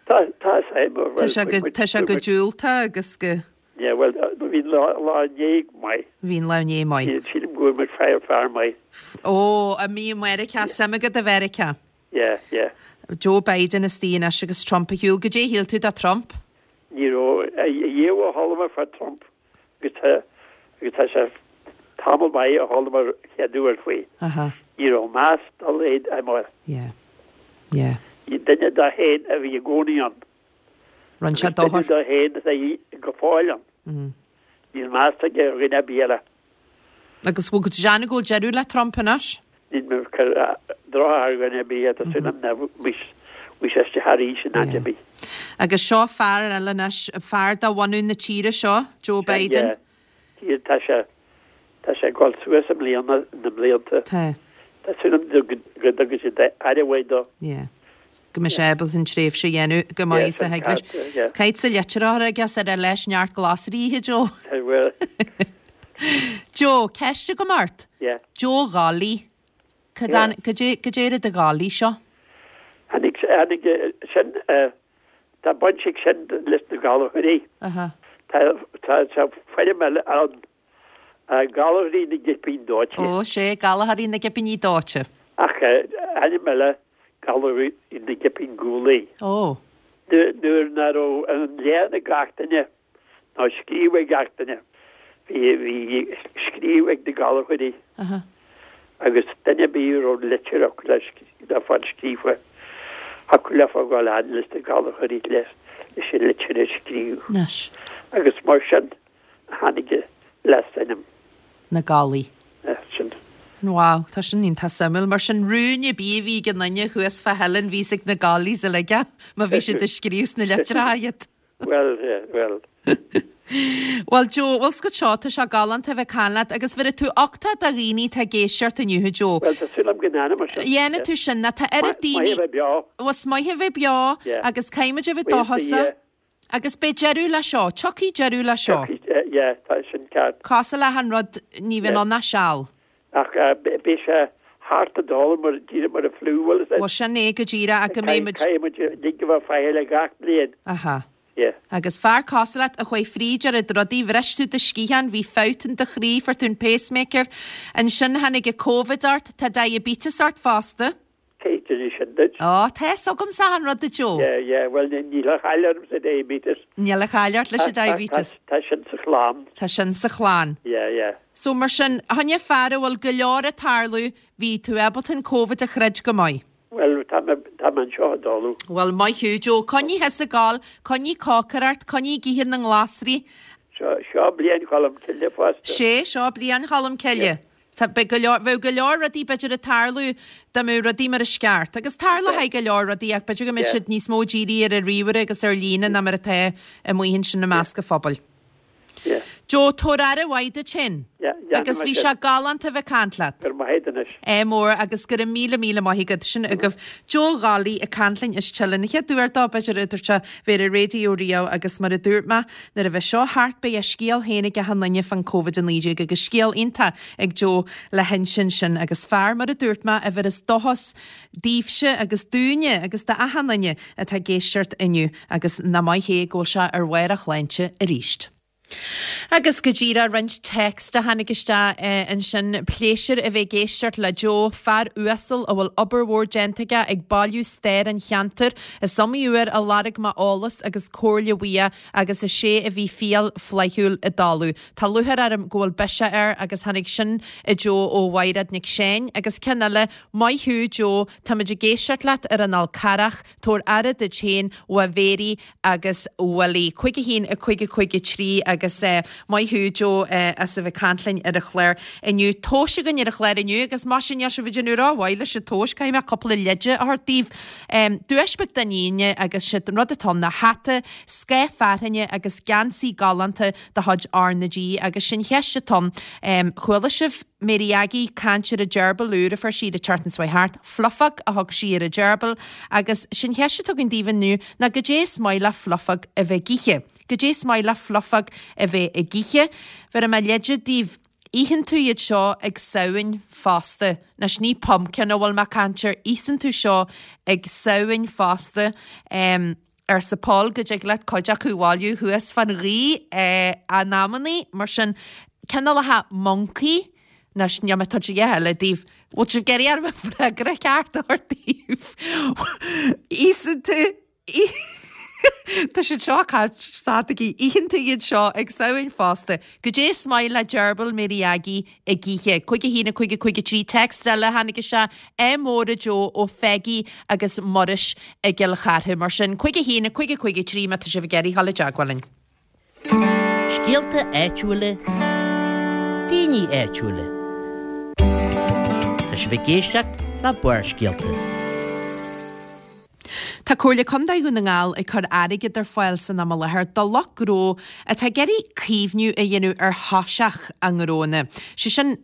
Tá, tá a fhios agam, Tá sé go, tá sé go diúltach agus go. Yeah, bhuel, bhí an lá, lá inné maith. Bhí an lá inné maith. Sílim go bhfuair muid fear, fear maith. Ó, a mí i Meiriceá, suim agat i Mheiriceá. Yeah, yeah. Joe Biden istigh anois agus Trump ar shiúl. Goidé a shíl tú de Trump? Ní raibh, ariamh a chuala mé fá Trump agus tá, agus tá sé tamall maith a chuala mé chéad uair faoi. Aha. Ní raibh meas dá laghad agam air. Yeah. Yeah. Duine dó féin a bhí i gcónaí ann. Rinne sé Agus duine dochar. dó féin atá go fóill ann. Mm. Níl meas aige ar dhuine ar bith eile. Agus bhfuil go deimhin go bhfuil deireadh le Trump anois? Níl mé ag cur droch ar dhuine ar bith, tá súil agam nach bhfuil sé isteach arís in áit ar bith. Agus seo fear eile anois, fear de bhunadh na tíre seo, Joe Biden. Yeah. Tá sé tá sé ag dul suas i mbliana na mblianta. Tá. Tá súil agam go dtugann siad aire mhaith dó. Yeah. Go mbeidh sé ábalta an tréimhse a dhéanamh go maith sa thig leis. Caith sa litreoir agus ar leis neart glasraí a ithe, Joe. Bhuel. Joe, ceist agam ort. Yeah. Joe Ghallaí. Cad é rud a Ghallaí seo? Tháinig tháinig sin tá baint ag sin leis na Gallchóirí. Aha. Tá tá tá foirm eile ann Gallchóirí na gCipín Dóite. Ó sé Gallchóirí na gCipíní Dóite. Ach ainm eile Gallchóirí na gCipín Gualaí. Ó. Nuair nach raibh an léann ag gach duine ná scríobh ag gach duine. Bhí bhí scríobh ag na Gallchóirí. Aha. Agus duine ar bith a raibh litir acu le le fáil scríofa. Thiocfadh leofa gabháil fhad leis na Gallchóirí leis leis an litir a scríobh. Anois. Agus mar sin a tháinig an leasainm. Na Gallaí. Sin. Wow, tá sin iontach suimiúil, mar sin rún ar bith a bhí ag an duine thuas fá Theileann bhí a fhios ag na Gallaís uilig é, má bhí siad ag scríobh sna litreacha iad. Well, yeah, well. Well Joe, bhfuil 's agat seo, tá sé galánta a bheith ag caint leat agus bheir tú uchtach do dhaoine atá ag éisteacht inniu, a Joe. Well, tá súil agam go ndéanfaidh mé sin. Dhéanfaidh tú sin, ná tá oiread daoine. Maith a bheith beo. Bhuel, is maith a bheith beo Yeah. agus caithfidh muid a bheith Buíochas do dóchasach. Dhia. Agus beidh deireadh le seo, tiocfaidh deireadh le seo. Tiocfaidh, yeah, tá sin ceart. Cosúil le achan rud, ní bhíonn ann ach seal. Ach beidh sé thart i dul mar díreach mar an fliú, bhfuil Bhuel, sin é go díreach ach go mbeidh muid. Caithfidh muid uilig a bheith faichilleach gach bliain. Aha. Yeah. Agus fear cosúil leat a chuaigh fríd oiread rudaí, bhris tú do sciathán, bhí fabht in do chroí, fuair tú an pacemaker. Ansin tháinig an Covid ort, tá diabetes ort fosta. Cé d'inis sin duit? Ó, tá fhios agamsa achan rud a Joe. Yeah, yeah, well níl a chaill orm sa diabetes. Níl a chaill ort leis an diabetes. Tá sin sa chlann. Tá sin sa chlann. Yeah, yeah. So mar sin, choinne fear a bhfuil go leor ag tarlú, bhí tú ábalta an Covid a throid go maith. Well, tá mé tá mé anseo i dtólamh. Well, maith thú, Joe. Coinnigh thusa ag gabháil, coinnigh cócaireacht, coinnigh ag ithe na nglasraí. Seo seo bliain Cholm Cille fosta. Sé, seo bliain Cholm Cille. Tá beidh go leor, bheadh go leor rudaí b'fhéidir ag tarlú dá mbeadh rudaí mar is ceart. Agus tarlóidh go leor rudaí ach b'fhéidir go mbeidh siad níos mó dírithe ar an ríomhaire agus ar líne ná mar atá amuigh ansin i measc an phobail. Yeah. Joe, tabhair aire mhaith duit féin. Yeah, yeah, Agus bhí sé galánta a bheith ag caint leat. Go raibh maith agat anois. É mór agus go raibh míle míle maith agat sin agaibh. Joe Ghallaí ag caint linn as Teileann. An chéad uair dó b'fhéidir a dúirt sé bheith ar an raidió riamh agus mar a dúirt mé nuair a bheidh seo thart beidh a scéal féin ag achan duine fán Covid a naoi déag agus scéal iontach ag Joe le hinsint sin agus fear mar a dúirt mé a bheireas dóchas daoibhse agus dúinne agus d'achan duine atá ag éisteacht inniu agus nach maith é go bhfuil sé ar bharr a shláinte arís. Agus go díreach roinnt text a tháinig isteach ansin pléisiúr a bheith ag éisteacht le Joe, fear uasal a bhfuil obair mhór déanta aige ag bailiú stair an cheantair. Is iomaí uair a lorg mé eolas agus comhairle uaidh agus is é a bhí fial flaithiúil i dtólamh. Tá lúcháir orm go bhfuil biseach air agus tháinig sin a Joe ó Mhaighread Nic Seáin agus ceann eile, maith thú Joe, táimid ag éisteacht leat ar an Fhál Carrach, tabhair aire duit féin, uaidh Mhéirí agus Willie. Cúig a haon a cúig a cúig a trí agus maith thú Joe as a bheith ag caint linn ar an chlár inniu. Tomhais againn ar an chlár inniu agus mar sin níl sibh ag déanamh rómhaith leis an tomhas, caithfidh mé cúpla leide a thabhairt daoibh. Duais beag don Aoine agus siad an rud atá ann ná hata, scáth fearthainne agus geansaí galánta de chuid R na G agus sin cheist atá ann. Chuala sibh Mary Aggie caint ar an gerbil úr a fuair sí an tseachtain seo thart, Fluffog a thug sí ar an gerbil agus sin cheist atá againn daoibh inniu ná goidé is maith le Fluffog a bheith ag ithe. Goidé is maith le Fluffog a bheith ag ithe. Bhéarfaidh mé leide daoibh Itheann tú iad seo ag Samhain fosta. Anois ní pumpkin a bhfuil mé ag caint air, íosann tú seo ag Samhain fosta. Um, arsa Paul go dtig leat cuid acu a bhailiú thuas fan ghaoth eh, in amannaí, mar sin cineálacha moncaí, Anois níl mé ag tabhairt a dhath eile daoibh. Bhfuil sibh ag iarraidh orm an freagra ceart a thabhairt daoibh? Íosann tú Tá siad seo caint stataigí. Itheann tú iad seo ag Samhain fosta. Goidé is maith le Dearbhail Mary Aggie ag ithe. Cúig a haon a cúig a cúig a trí Text eile a tháinig isteach Ádh mór a Joe ó Pheggy agus Muiris i gCill Chartha. Mar sin cúig a haon a cúig a cúig a trí má tá sibh ag iarraidh dhul i dteagmháil linn. Scéalta áitiúla, daoine áitiúla. Tá sibh ag éisteacht le Barrscéalta. Tá Comhairle Contae Dhún na nGall ag cur airgead ar fáil san am i láthair do lucht gnó atá ag iarraidh caomhnú a dhéanamh ar thoiseach a ngnónna. Sé sin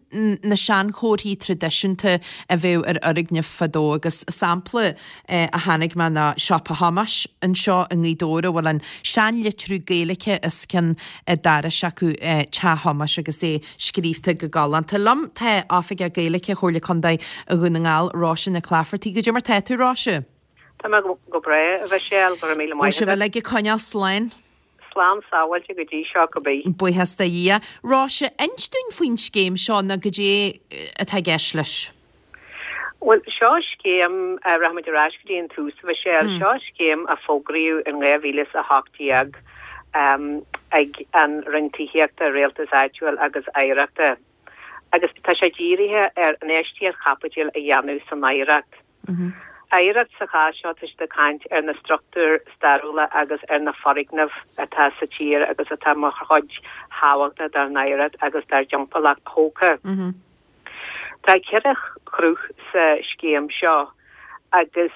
na seanchomharthaí traidisiúnta a bheadh ar fhoirgnimh fadó agus sampla a chonaic mé ná Siopa Thomáis anseo i nGaoth Dobhair a bhfuil an seanlitriú Gaeilge os cionn an dorais acu Teach Thomáis agus é scríobhta go galánta. Liom tá Oifigeach Gaeilge Chomhairle Contae Dhún na nGall, Róise Nic Laifeartaigh. Goidé mar tá tú, Róise? Tá mé go breá, a Mhichelle, go raibh míle Bhfuil maith sibh agat. uilig ag coinneáil slán? Slán sábháilte go dtí seo cibé. Buíochas do Dhia. Róise, inis dúinn faoin scéim seo nó goidé atá i gceist leis. Bhuel, seo scéim, rachaimid ar ais go dtí an tús, a Mhichelle, seo scéim a fógraíodh in dhá mhíle is a hocht déag ag an Roinn Tithíochta, Rialtais Áitiúil agus Oidhreachta agus tá sé dírithe ar infheistíocht chaipitil a dhéanamh san oidhreacht. Oidhreacht sa chás seo, tá siad ag caint ar na struchtúir stairiúla agus ar na foirgnimh atá sa tír agus atá mar chuid thábhachtach dár n-oidhreacht agus dár dtimpeallacht thógtha. Tá ceithre shruth sa scéim seo agus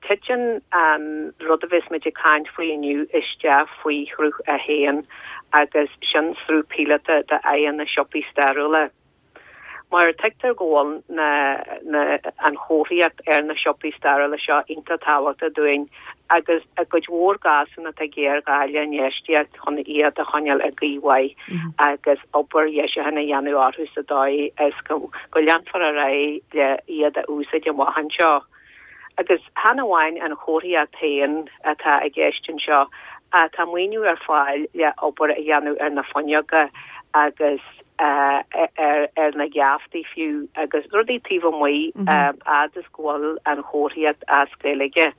titeann an rud a bheas muid ag caint faoi inniu isteach faoi shruth a haon agus sin sruth píolóta d'aghaidheanna siopaí stairiúla. Mar tuigtear go bhfuil na, na, an chomharthaíocht ar na siopaí stairiúla seo iontach tábhachtach dúinn agus i gcuid mhór gcásanna tá géarghá le infheistíocht chun iad a choinneáil i gcaoi mhaith agus obair dheisiúcháin a dhéanamh orthu sa dóigh is go, go leanfar ar aghaidh le iad a úsáid amach anseo. Agus chan amháin an chomharthaíocht féin atá i gceist anseo, ach tá maoiniú ar fáil le obair a dhéanamh ar na fuinneoga agus ar na geaftaí fiú agus rudaí taobh amuigh fhad is go bhfuil an chomharthaíocht as Gaeilge.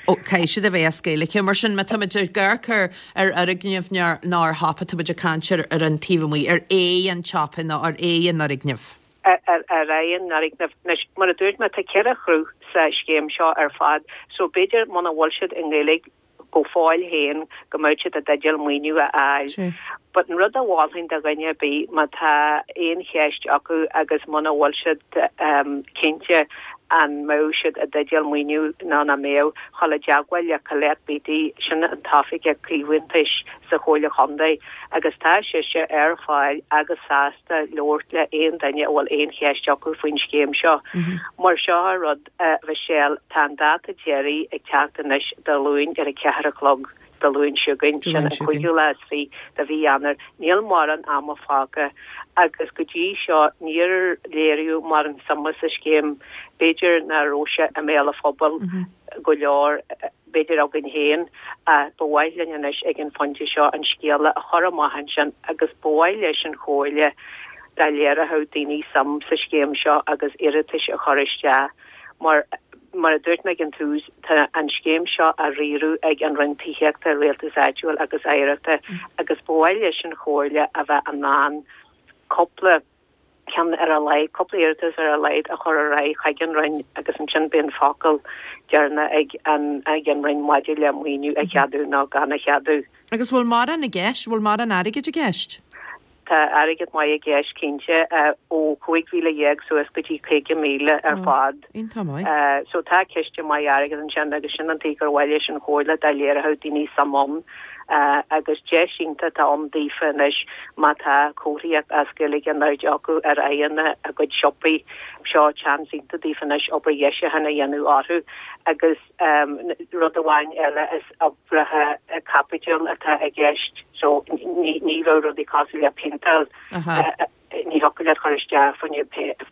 Ó, caithfidh siad a bheith as Gaeilge. Mar sin, má táimid ag amharc ar ar fhoirgneamh nó ar shiopa, táimid ag caint ar ar an taobh amuigh, ar aghaidh an tsiopa nó ar aghaidh an fhoirgnimh. Ar aghaidh an fhoirgnimh. Anois, mar a dúirt mé, tá ceithre shruth sa scéim seo ar fad, so b'fhéidir muna bhfuil siad i nGaeilge, go fóill féin go mbeadh siad i dteideal maoiniú a fháil. But an rud a mholfainn do dhuine ar bith má tá aon cheist acu agus muna bhfuil siad cinnte an mbeadh siad i dteideal maoiniú nó nach mbeadh, dhul i dteagmháil le Colette Beattie, sin an tOifigeach Caomhantais sa Chomhairle Chontae agus tá sise ar fáil agus sásta labhairt le aon duine a bhfuil aon cheist acu faoin scéim seo. Mar seo an rud. A Mhichelle, tá an dáta deiridh ag teacht anois Dé Luain ar a ceathair a chlog Dé Luain seo chugainn, sin an cúigiú lá is fiche de mhí Eanáir. Níl mórán ama fágtha agus go dtí seo níor léiríodh mórán suime sa scéim. B'fhéidir nach raibh sé i mbéal an phobail go leor, b'fhéidir againn féin, ach ba mhaith linn anois ag an phointe seo an scéala a chur amach ansin agus ba mhaith leis an Chomhairle dá léireodh daoine suim sa scéim seo agus iarratais a chur isteach. Mar mar a dúirt mé ag an tús, tá an scéim seo á riaradh ag an Roinn Tithíochta, Rialtais Áitiúil agus Oidhreachta agus ba mhaith leis an Chomhairle a bheith in ann cúpla ceann ar a laghad, cúpla iarratas ar a laghad a chur ar aghaidh chuig an Roinn agus ansin beidh an focal deireanach ag an ag an Roinn maidir le maoiniú a cheadú nó gan a cheadú. Agus bhfuil mórán i gceist, bhfuil mórán airgid i gceist? Tá airgead maith i gceist cinnte, ó chúig mhíle dhéag suas go dtí caoga míle ar fad. Iontach maith. So tá ciste maith airgid ansin agus sin an tuige gur mhaith leis an Chomhairle dá léireodh daoine suim ann. Agus deis iontach atá ann daofa anois má tá comharthaíocht as Gaeilge in airde acu ar aghaidheanna a gcuid siopaí. Seo seans iontach daofa anois obair dheisiúcháin a dhéanamh orthu agus Rud amháin eile is oibreacha caipitil atá i gceist so ní bheadh rudaí cosúil le péinteáil, ní thiocfadh leat chur isteach fá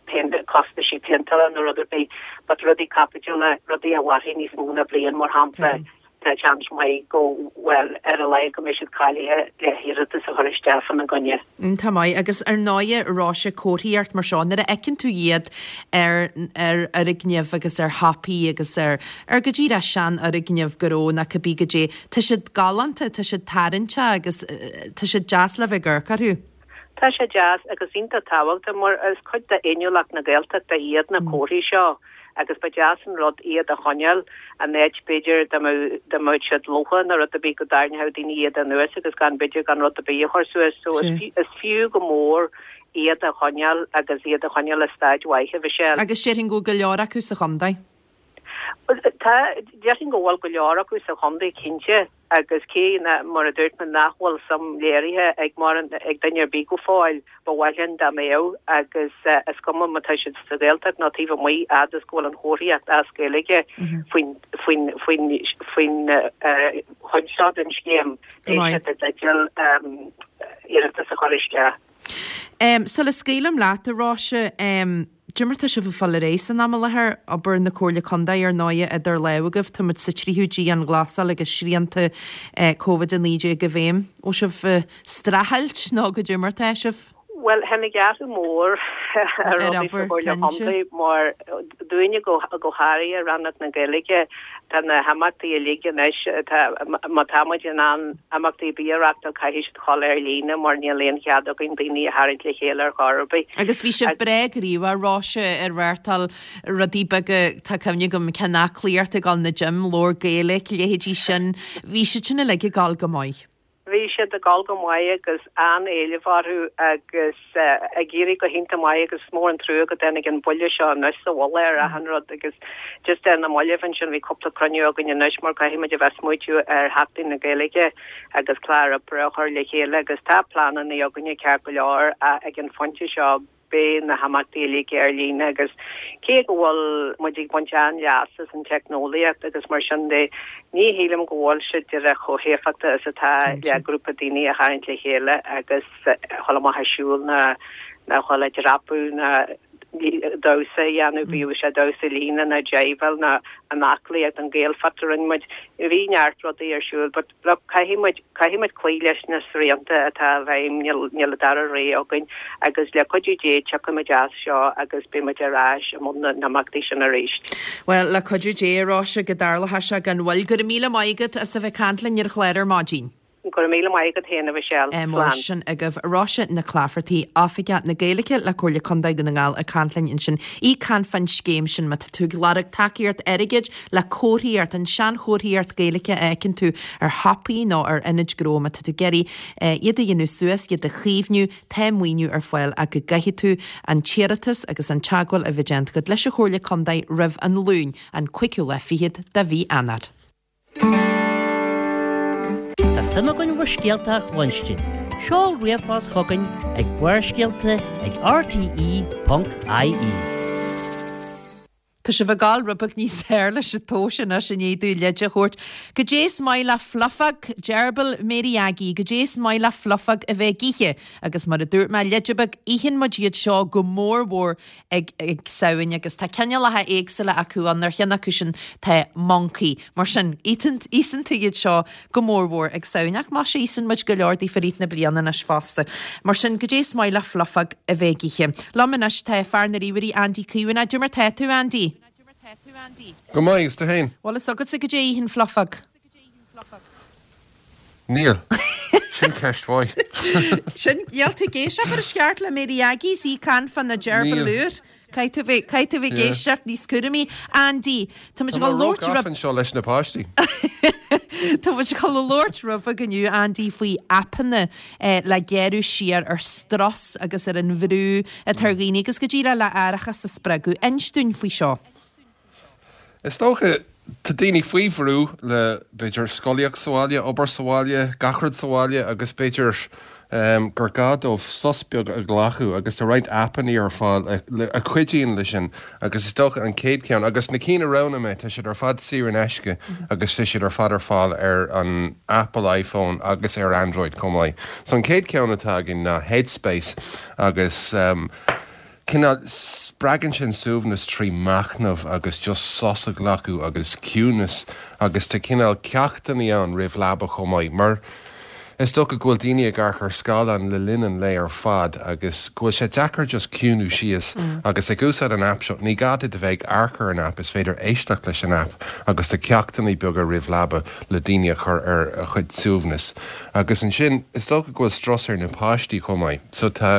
choinne costaisí péinteála nó rud ar bith, but rudaí caipitiúla, rudaí a mhairfidh níos mó ná bliain, mar shampla, tá seans maith go, bhuel, ar a laghad go mbeidh siad cáilithe le hiarratas a chur isteach fána gcoinne. Iontach maith. Agus ar ndóighe, Róise, comharthaíocht mar seo, nuair a fheiceann tú iad ar ar fhoirgnimh agus ar shiopaí agus ar ar go díreach seanfhoirgnimh gnó nó cibé goidé, tá siad galánta, tá siad tarraingteach agus tá siad deas le bheith ag amharc orthu. Tá sé deas agus iontach tábhachtach mar is cuid d'fhéiniúlacht na Gaeltachta iad na comharthaí seo agus ba deas an rud iad a choinneáil in áit b'fhéidir dá mbeadh dá mbeadh siad lofa nó rud ar bith go dtarraingeodh daoine iad anuas agus gan b'fhéidir gan rud ar bith a chur suas so is fiú is fiú go mór iad a choinneáil agus iad a choinneáil i staid mhaith a Mhichelle. Agus déarfainn go bhfuil go leor acu sa chontae. Tá, déarfainn go bhfuil go leor acu sa chontae cinnte agus cé na, mar a dúirt mé, nach bhfuil suim léirithe ag mórán, ag duine ar bith go fóill, ba mhaith linn dá mbeadh agus is cuma má tá siad sa Ghaeltacht nó taobh amuigh, fhad is go bhfuil an chomharthaíocht as Gaeilge faoin, faoin, faoin, faoin chuid seo den scéim, beidh siad i dteideal iarratas a chur isteach. Sula scaoilim leat, a Róise, Cad é mar tá sibh ag fáil ar aghaidh san am i láthair, obair na Comhairle Contae ar ndóighe idir lámha agaibh, tá muid sa tríú dianghlasáil agus srianta Covid a naoi déag i bhfeidhm. Bhfuil sibh ag streachailt nó cad é mar tá sibh? Bhuel, tháinig athrú mór ar Ar rudaí sa obair, Chomhairle cinnte. Chontae mar dúinne go go háirithe, Rannóg na Gaeilge, tá na himeachtaí uilig anois, tá má tá muid in ann imeachtaí ar bith a reáchtáil caithfidh siad dhul ar líne mar níl aon chead againn daoine a tharraingt le chéile ar chor ar bith. Agus bhí sibh breá gníomhach, a Róise, ag reáchtáil rudaí beaga, tá cuimhne agam ceann aclaíocht ag dul na gym, labhair Gaeilge, leithéidí sin, bhí siad sin uilig ag dul go maith. Bhí siad ag dul go maith agus an-éileamh orthu agus ag éirí go hiontach maith agus is mór an trua go dtáinig an buille seo anois sa mhullach ar achan rud agus just ar na mallaibh ansin bhí cúpla cruinniú againn anois mar caithfidh muid a bheith ag smaoitiú ar Sheachtain na Gaeilge agus clár oibre a chur le chéile agus tá pleananna againne ceart go leor ag an phointe seo. Beidh na himeachtaí uilig ar líne agus cé go bhfuil muid ag baint an-leas as an teicneolaíocht agus mar sin de, ní shílim go bhfuil sé díreach chomh héifeachtach is atá le grúpa daoine a tharraingt le chéile agus a dhul amach ag siúl ná ná a dhul ag dreapadh ná damhsa a dhéanamh, bíodh sé damhsa líne ná jiveáil ná an aclaíocht, an Gaelfit a rinne muid. Bhí neart rudaí ar siúl but look caithfidh muid, caithfidh muid cloí leis na srianta atá i bhfeidhm, níl, níl an dara rogha againn agus le cuidiú Dé tiocfaidh muid as seo agus beidh muid ar ais i mbun na n-imeachtaí sin arís. Bhuel, le cuidiú Dé, a Róise, go dtarlóidh sé gan mhoill. Go raibh míle maith agat as a bheith ag caint linn ar an chlár ar maidin. Go raibh míle maith agat féin, a Mhichelle. Mar Slán. sin agaibh Róise Nic Laifeartaigh, Oifigeach na Gaeilge le Comhairle Contae Dhún na nGall ag caint linn ansin. Í ag caint fán scéim sin má tá tú ag lorg tacaíocht airgid le comharthaíocht, an seanchomharthaíocht Gaeilge a fheiceann tú ar shiopaí nó ar ionaid gnó má tá tú ag iarraidh iad a dhéanamh suas, iad a chaomhnú, tá maoiniú ar fáil ach go gcaithfidh tú an t-iarratas agus an teagmháil a bheith déanta agat leis an Chomhairle Contae roimh an Luan, an cúigiú lá fichead de mhí Eanáir. Tá suim againn bhur scéalta a chluinstin. Seol ríomhphost chugainn ag Barrscéalta ag rte ponc ie. Tá sibh ag gabháil rud beag níos fearr leis an tomhas anois i ndiaidh dúinn leid a thabhairt. Goidé is maith le Flufóg, Dearbhail Mary Aggie, goidé is maith le Flufóg a bheith ag ithe. Agus mar a dúirt mé, leid beag, itheann muid iad seo go mór mhór ag ag Samhain agus tá cineálacha éagsúla acu ann, ar cheann acu sin tá moncaí. Mar sin, íosann tú iad seo go mór mhór ag Samhain, ach más ea íosann muid go leor díofa i rith na bliana anois fosta. Mar sin, goidé is maith le Flufóg a bheith ag ithe. Liom anois tá fear na ríomhairí Andy Caomhánach. Cad é mar tá tú, Andy? Go maith, agus tú féin? Bhfuil fhios agatsa goidé a itheann Flufóg? Níl. Sin ceist mhaith. Sin, níl tú ag éisteacht mar is ceart le Mary Aggie, is í ag caint fá na deirbil Níl. úr. Caithfidh tú bheith, caithfidh tú bheith ag Yeah. éisteacht níos cúramaí. Andy, tá muid Tá ag mé dul labhairt róghafa rud- anseo leis na páistí. Tá muid ag dul a labhairt rud beag inniu, Andy, faoi aipeanna eh, le gearradh siar ar strus agus ar an bhrú atá ar dhaoine agus go díreach le aireachas a spreagadh. Inis dúinn faoi seo. Is dócha tá daoine faoi bhrú le b'fhéidir scolaíocht sa bhaile, obair sa bhaile, gach rud sa bhaile agus b'fhéidir gur gá dóibh sos beag a ghlacadh agus tá roinnt aipeanna ar fáil a chuidíonn leis sin agus is dócha an chéad cheann agus na cinn a roghnaigh mé tá siad ar fad saor in aisce agus tá siad ar fad ar fáil ar an Apple iPhone agus ar Android chomh maith. So an chéad cheann atá againn ná Headspace agus um, cineál spreagann sin suaimhneas trí machnamh agus just sos a ghlacadh agus ciúnas agus tá cineál ceachtanna ann roimh leaba chomh maith mar is dócha go bhfuil daoine ag amharc ar scáileán le linn an lae ar fad agus go bhfuil sé deacair just ciúnú síos agus ag úsáid an app seo ní gá duit a bheith ag amharc ar an app is féidir éisteacht leis an app agus tá ceachtanna beaga roimh leaba le daoine a chur ar a chuid suaimhneas. Agus ansin is dócha go bhfuil strus ar na páistí chomh maith so tá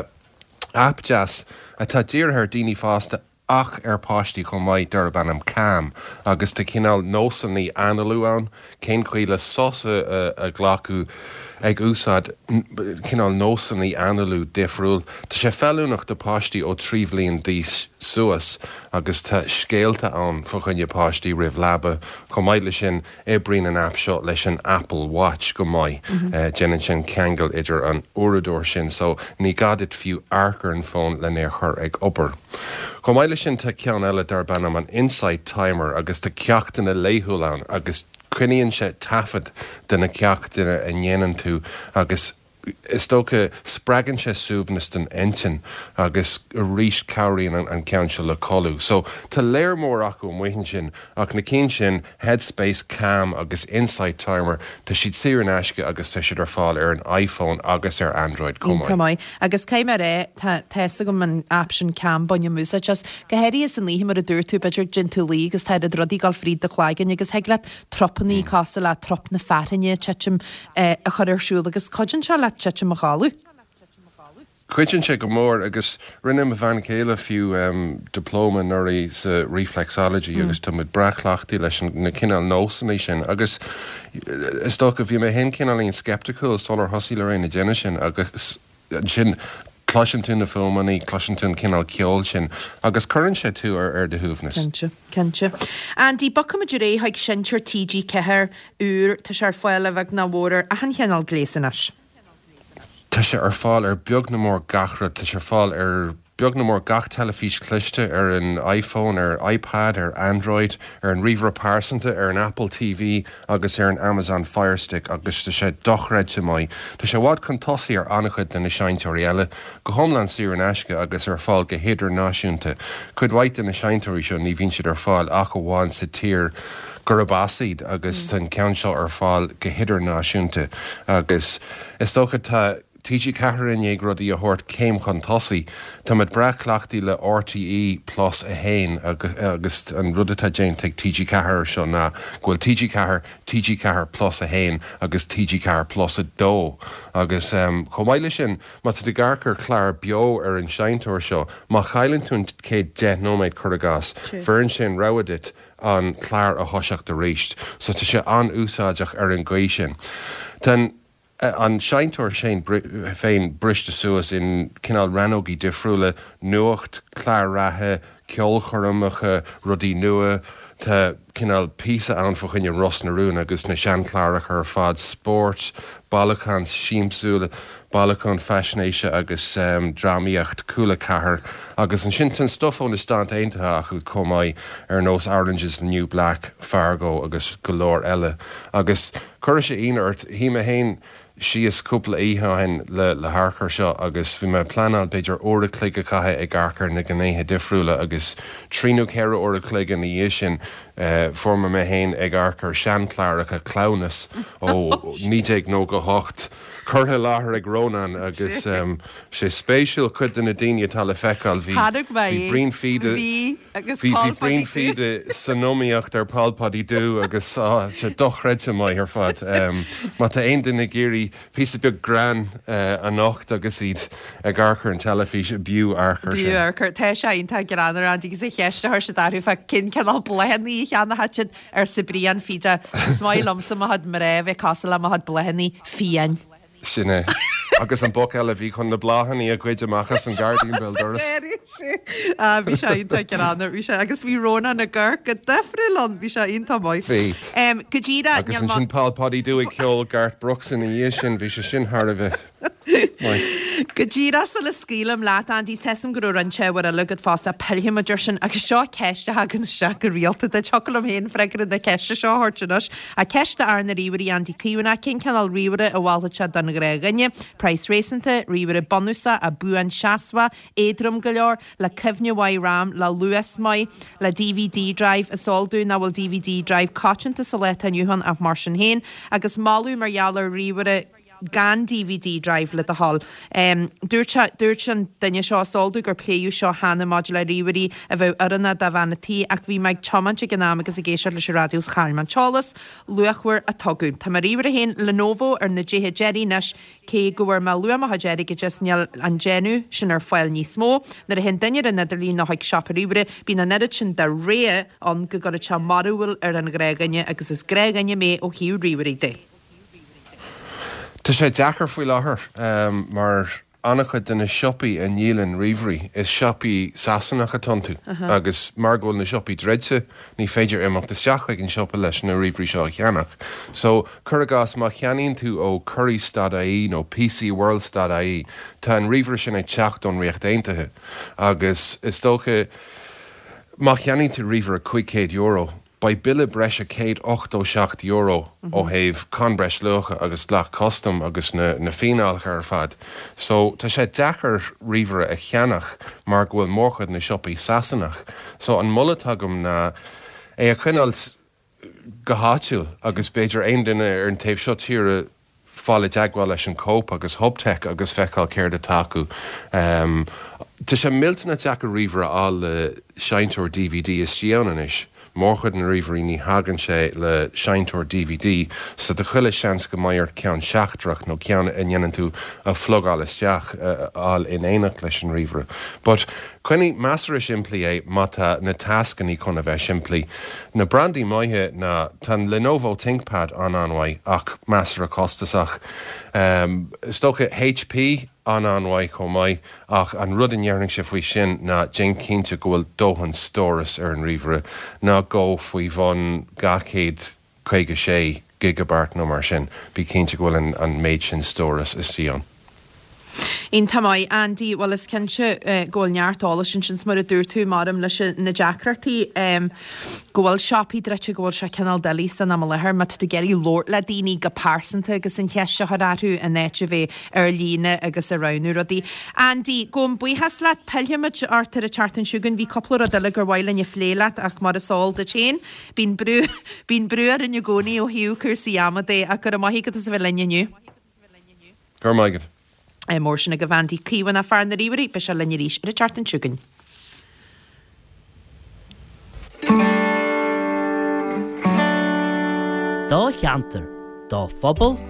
app deas atá dírithe ar daoine fásta ach ar páistí chomh maith darb ainm Calm agus tá cineál nósanna análú ann cén chaoi le sos a ghlacadh ag úsáid cineál nósanna análú difriúil. Tá sé feiliúnach do páistí ó trí bhliain d'aois suas agus tá scéalta ann fá choinne páistí roimh leaba. Chomh maith leis sin oibríonn an app seo leis an Apple Watch go maith. Déanann sin ceangal idir an uaireadóir sin so ní gá duit fiú amharc ar an bhfón lena chur ag obair. Chomh maith leis sin tá ceann eile darb ainm an Insight Timer agus tá ceachtanna laethúil ann agus coinníonn sé taifead de na ceachtanna a ndéanann tú agus is dócha spreagann sé suaimhneas don intinn agus arís cabhraíonn an ceann seo le codladh. So tá léar mór acu amuigh ansin ach na cinn sin Headspace, Calm agus Insight Timer tá siad saor in aisce agus tá siad ar fáil ar an iPhone agus ar Android chomh maith. Iontach maith. Agus caithfidh mé a rá, tá tá agam an app sin Calm bainim úsáid as. Go háirithe san oíche mar a dúirt tú b'fhéidir dtéann tú a luí agus tá rudaí ag dul fríd do chloigeann agus thig leat trupanna cosúil le trup na fearthainne titim a chur ar siúl agus cuidíonn sé leat titim a chodladh. Cuidíonn sé go mór agus rinne mo bhean chéile fiú um, diplóma anuraidh sa reflexology mm. agus tá muid breá cleachtaithe leis na cineál nósanna sin agus is dócha bhí mé féin cineáilín skeptical sular thosaigh Lorraine ag déanamh sin agus sin cloiseann tú na fuaimeanna, cloiseann tú an cineál ceoil sin agus cuireann sé tú ar ar do shuaimhneas. Cinnte, cinnte. Andy, bogfaimid ar aghaidh chuig seinnteoir TG Ceathair úr tá sé ar fáil a bheag nó a mhór ar achan chineál gléas anois. Tá sé ar fáil ar beag nó mór gach rud, tá sé ar fáil ar beag nó mór gach teilifís cliste ar an iPhone, ar iPad, ar Android, ar an ríomhaire pearsanta, ar an Apple TV agus ar an Amazon Firestick agus tá sé dochreidte maith. Tá sé i bhfad chun tosaigh ar an-chuid de na seinnteoirí eile, go hiomlán saor in aisce agus ar fáil go hidirnáisiúnta. Cuid mhaith de na seinnteoirí seo ní bhíonn siad ar fáil ach amháin sa tír gurb as iad agus tá an ceann seo ar fáil go hidirnáisiúnta agus is dócha tá TG Ceathair i ndiaidh rudaí a thabhairt céim chun tosaigh. Tá muid breá cleachtaithe le RTÉ Plus a haon agus an rud atá déanta ag TG Ceathair seo ná go bhfuil TG Ceathair, TG Ceathair Plus a haon agus TG Ceathair Plus a dó. Agus um, chomh maith leis sin má tá tú ag amharc ar chlár beo ar an seinnteoir seo, má chailleann tú an chéad deich nóiméad cuir i gcás, bheireann sé an rogha duit an clár a thoiseacht arís, so tá sé an-úsáideach ar an gcaoi sin. Tá an seinnteoir sin féin briste suas in cineál rannógaí difriúla, nuacht, cláir reatha, ceolchoirmeacha, rudaí nua, tá cineál píosa ann fá choinne Ros na Rún agus na seanchláracha ar fad, spórt, bailiúchán siamsúil, bailiúchán faisnéise agus um, drámaíocht Cúla Ceathair agus ansin tá stuif ó na Stáit Aontaithe acu chomh maith ar nós Orange is the New Black, Fargo agus go leor eile. Agus chuir sé ionadh ort shuigh mé féin síos cúpla oíche ó shin le le hamharc air seo agus bhí mé pleanáil b'fhéidir uair a chloig a chaitheamh ag amharc ar na gnéithe difriúla agus trí nó ceithre uair a chloig ina dhiaidh sin uh, fuair mé mé féin ag amharc ar seanchláracha Cleamhnas ó naoi déag nócha hocht curtha i láthair ag Rónán agus um, sé spéisiúil cuid de na daoine atá le feiceáil bhí bhí Brian Fida bhí bhí Brian Fida san iomaíocht ar Paul Paddy Dubh agus ah, sé dochreidte maith ar fad. Um, má tá aon duine ag iarraidh píosa beag greann uh, anocht agus iad ag amharc ar an teilifís b'fhiú amharc air sin. B'fhiú amharc air tá sé iontach greannmhar agus a cheist a chuir siad orthu fá cén cineál bláthanna a cheannódh siad arsa Brian Fida Is maith liomsa mo chuid mná bheith cosúil le mo chuid bláthanna fiáin. Sin é. Agus an boc eile bhí chun na bláthanna a ghoid amach as an gairdín béal dorais. Bhí sé iontach greannmhar bhí sé agus bhí Rónán ag amharc go difriúil ann bhí sé iontach maith. Bhí. Go díreach Agus ansin Paul Paddy Dubh ag ceol Garth Brooks ina dhiaidh sin bhí sé sin thar a bheith. Go díreach sula scaoilim leat, Andy, tá 'fhios a'm go raibh roinnt ábhar eile agat fosta, pillfidh muid air sin agus seo ceist a thagann isteach go rialta duit. Thiocfadh liom féin freagra na ceiste seo a thabhairt anois. Ach ceist d'fhear na ríomhairí, Andy Caomhánach, cén cineál ríomhaire a mholfadh sé don ghnáthdhuine? Praghas réasúnta, ríomhaire bunúsach ach buanseasmhach, éadrom go leor, le cuimhne mhaith RAM, le luas maith, le DVD drive, is eol dúinn nach bhfuil DVD drive coitianta sa lá atá inniu ann ach mar sin féin, agus moladh mar gheall ar ríomhaire gan DVD drive le do thoil. Dúirt sé, dúirt an duine seo, is eol domh gur pléadh seo cheana maidir le ríomhairí a bheadh oiriúnach do bhean a' tí ach bhí mé ag tiomáint ag an am agus ag éisteacht leis an raidió is chaill mé an t-eolas luachmhar a tugadh. Tá mo ríomhaire féin, Lenovo, ar na déithe deiridh anois cé go bhfuair mé luath mo chuid airgid as níl an déanamh sin ar fáil níos mó. Nuair a théann duine ar an idirlíon nó chuig siopa ríomhaire bíonn an oiread sin de rogha ann go gcuireann sé mearbhall ar an ghnáthdhuine agus is gnáthdhuine mé ó thaobh ríomhairí de. Tá sé deacair faoi láthair mar an-chuid de na siopaí a ndíolann ríomhairí, is siopaí Sasanach atá iontu agus mar go bhfuil na siopaí druidte, ní féidir imeacht isteach chuig an siopa leis na ríomhairí seo a cheannach. So, cuir i gcás, má cheannaíonn tú ó Currys dot ie nó PC World dot ie, tá an ríomhaire sin ag teacht ón Ríocht Aontaithe agus is dócha má cheannaíonn tú ríomhaire cúig chéad euro, Beidh bille breise céad ochtó seacht euro ó thaobh cáin breisluacha agus dleacht custam agus na na fíneálacha ar fad. So tá sé deacair ríomhaire a cheannach mar go bhfuil mórchuid na siopaí Sasanach. So an moladh atá agam ná é a choinneáil go háitiúil agus b'fhéidir aon duine ar an taobh seo tíre fáil i dteagmháil leis an Cope agus Hubtech agus feiceáil céard atá acu. Tá sé millteanach deacair ríomhaire a fháil le seinnteoir DVD istigh ann anois. Mórchuid na ríomhairí ní thagann sé le seinnteoir DVD so tá chuile seans go mbeidh ort ceann seachtrach nó ceann a ndéanann tú a phlugáil isteach a fháil in éineacht leis an ríomhaire. But coinnigh measartha simplí é má tá na tascannaí chun a bheith simplí. Na brandaí maithe ná, tá an Lenovo ThinkPad an-an-mhaith ach measartha costasach. Is dócha HP an-an-mhaith chomh maith ach an rud a ndéarfainnse faoi sin ná déan cinnte go bhfuil dóthain stóras ar an ríomhaire, ná gabh faoi bhun dhá chéad caoga sé gigeabairt nó mar sin, bí cinnte go bhfuil an méid sin stóras istigh ann. Iontach maith, Andy. Bhuel, is cinnte go bhfuil neart eolais ansin 's mar a dúirt tú, maraon leis na deacrachtaí go bhfuil siopaí druidte, go bhfuil sé cineál doiligh san am i láthair má tá tú ag iarraidh labhairt le daoine go pearsanta agus an cheist a chur orthu in áit a bheith ar líne agus ag roghnú rudaí. Andy, gabhaim buíochas leat. Pillfimid ort ar an tseachtain seo chugainn. Bhí cúpla rud eile gur mhaith linn a phlé leat ach mar is eol duit féin, bíonn brú, bíonn brú orainn i gcónaí ó thaobh cúrsaí ama de ach go raibh maith agat as a bheith linn inniu. Go raibh maith agat. Mór sin agaibh Andy Caomhánach, fear na ríomhairí, beidh sé linn arís ar an tseachtain seo chugainn. Do cheantar, do phobal,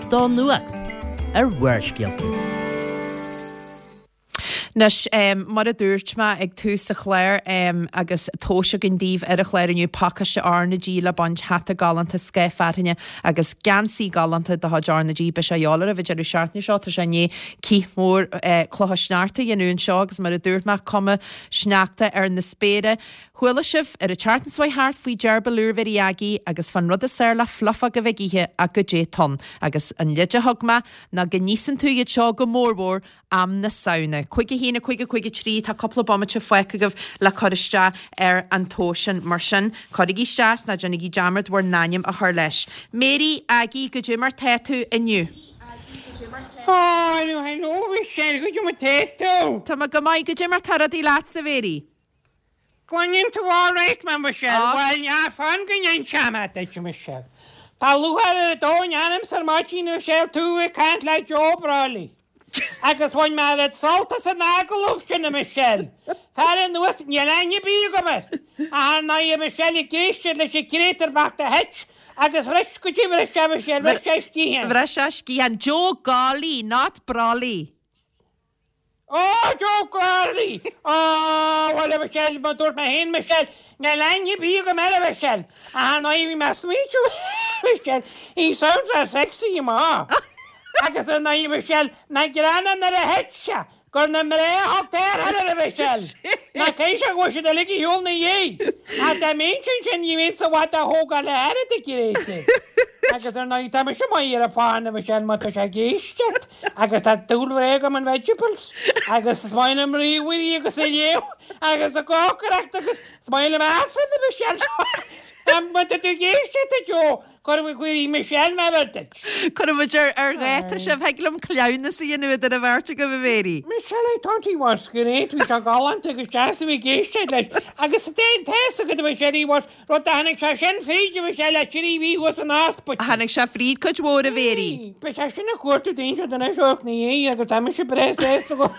do nuacht ar Bharrscéalta. Anois, mar a dúirt mé ag tús an chláir, agus tomhais againn daoibh ar an chlár inniu, pacáiste R na G le baint, hata galánta, scáth fearthainne agus geansaí galánta de chuid R na G. Beidh sé a dhíobháil oraibh an deireadh seachtaine seo, tá sé i ndiaidh cith mór clocha sneachta a dhéanamh anseo agus mar a dúirt mé, cuma sneachta ar na spéire. Chuala sibh ar an tseachtain seo chuaigh thart faoi Deirbhile úr Mhéirí Aggie agus fán rud is fearr le fliufóg a bheith ag ithe ach goidé atá ann. Agus an leid a thug mé ná go n-íosann tú iad seo go mórmhór am na Samhna. Cúig a haon, a cúig, a cúig a trí, tá cúpla bomaite fágtha agaibh le cur isteach ar an tomhas sin. Mar sin, cuirigí isteach 's ná déanaigí dearmad bhur n-ainm a chur leis. Mary, Aggie, goidé mar tá tú inniu? Ó, hello, Michelle, goidé mar tá tú? Tá mé go maith, goidé mar tá rudaí leatsa, Mary? Cluineann tú alright mé, Michelle. Bhuel, ná fan go n-inseoidh mé duit, Michelle. Tá lúcháir ar an domhan ormsa ar maidin, a Michelle, tú ag caint le Joe Brolly. Agus bhain mé oiread sult as an agallamh sin, a Michelle. Faire anuas, níl aithne ar bith agam air. Ach ar ndóigh, a Michelle, ag éisteacht leis an gcréatúr bocht a thit agus bhris, goidé bhris sé, Michelle, bhris sé a sciathán. Bhris sé a sciathán. Joe Golly, not Brolly. Ó, Joe Gourley! Ó, bhuel, a Mhichelle, mar a dúirt mé féin, Michelle, níl aithne ar bith agam air, a Mhichelle. Ach ar ndóigh, bhí mé ag smaointiú, Michelle, he sounds very sexy, maith. Agus ar ndóigh, Michelle, nach greannmhar nuair a thit sé, gur na mná a thug tarrtháil air, a Mhichelle. Nach caithfidh sé go bhfuil siad uilig ar shiúl ina dhiaidh. Ach dá mbeinnse ansin, ní bheinnse i bhfad á thógáil le hairgead, a Gréta. Agus ar ndóigh, tá mise maith ar an bhfón, a Mhichelle, má tá sé ag éisteacht. Agus tá dúil mhór agam in vegetables agus is maith liom ríomhairí agus a léamh agus a cócaireacht agus is maith liom Aifreann a Michelle. Má tá tú ag éisteacht a Joe, cuirfidh cuirfidh Michelle mé bheith duit. Cuirfidh muid ar ar dháta sibh, thig liom cleamhnas a dhéanamh idir an bheirt agaibh a Mhéirí. Michelle, I thought he was great, bhí sé galánta agus deas a bheith ag éisteacht leis. Agus tá a fhios agat a Michelle, he was, rud a tháinig sé sin fríd a Michelle le trí mhí thuas san ospidéal. Tháinig sé fríd cuid mhór a Mhéirí. Beidh sé sin ag cuartú daoine seo anois ó na dhiaidh agus tá mise breá sásta go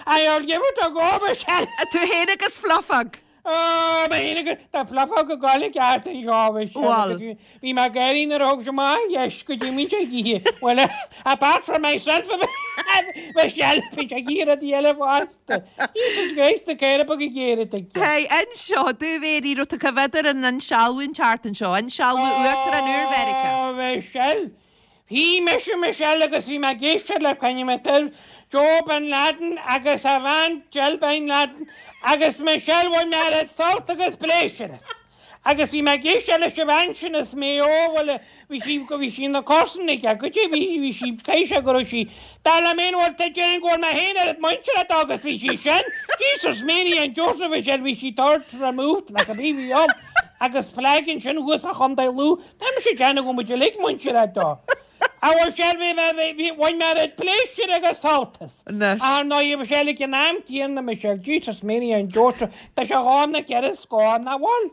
I'll give it a go Michelle. Tú féin agus Flufóg. Ó, mé féin agus tá Flufóg ag gabháil i gceart anseo a Michelle Bhuel. agus bhí bhí mé ag gáirí nuair a thug sé amach dheis go dtí muintir oíche. Well, apart from myself Michelle, bhí sé ag iarraidh rudaí eile fosta. Jesus Christ, na caora beaga géara tuigte. Hey, anseo, do Mhéirí, raibh tú coimhéad ar an insealbhú an tseachtain seo, insealbhú Uachtarán úr Mheiriceá. Ó, Michelle, Bhí mise Michelle agus bhí mé ag éisteacht le coinne mé Joe Bin Laden agus a bhean Jill Bin Laden agus Michelle bhain mé oiread sult agus pléisiúr as. Agus bhí mé ag éisteacht leis an bhean sin as Maigh Eo bhuel bhí sí bhí sí ina comharsan aige goidé bhí bhí sí caithfidh sé go raibh sí dar liom féin bhuel tá déarfainn go bhfuil mé féin oiread muintire dó agus bhí sí sin Jesus Mary and Joseph Michelle bhí sí third removed like a bhí bhí ann agus flag ansin thuas a Chontae Lú tá mise ag déanamh go bhfuil muid uilig muintire dó. A Mhichelle bhí mé bhí bhain mé oiread pléisiúir agus sult as. Anois. Ar ndóigh a Mhichelle ag an am céanna Michelle Jesus Mary and Joseph tá sé dhá na ceithre scór nach bhfuil?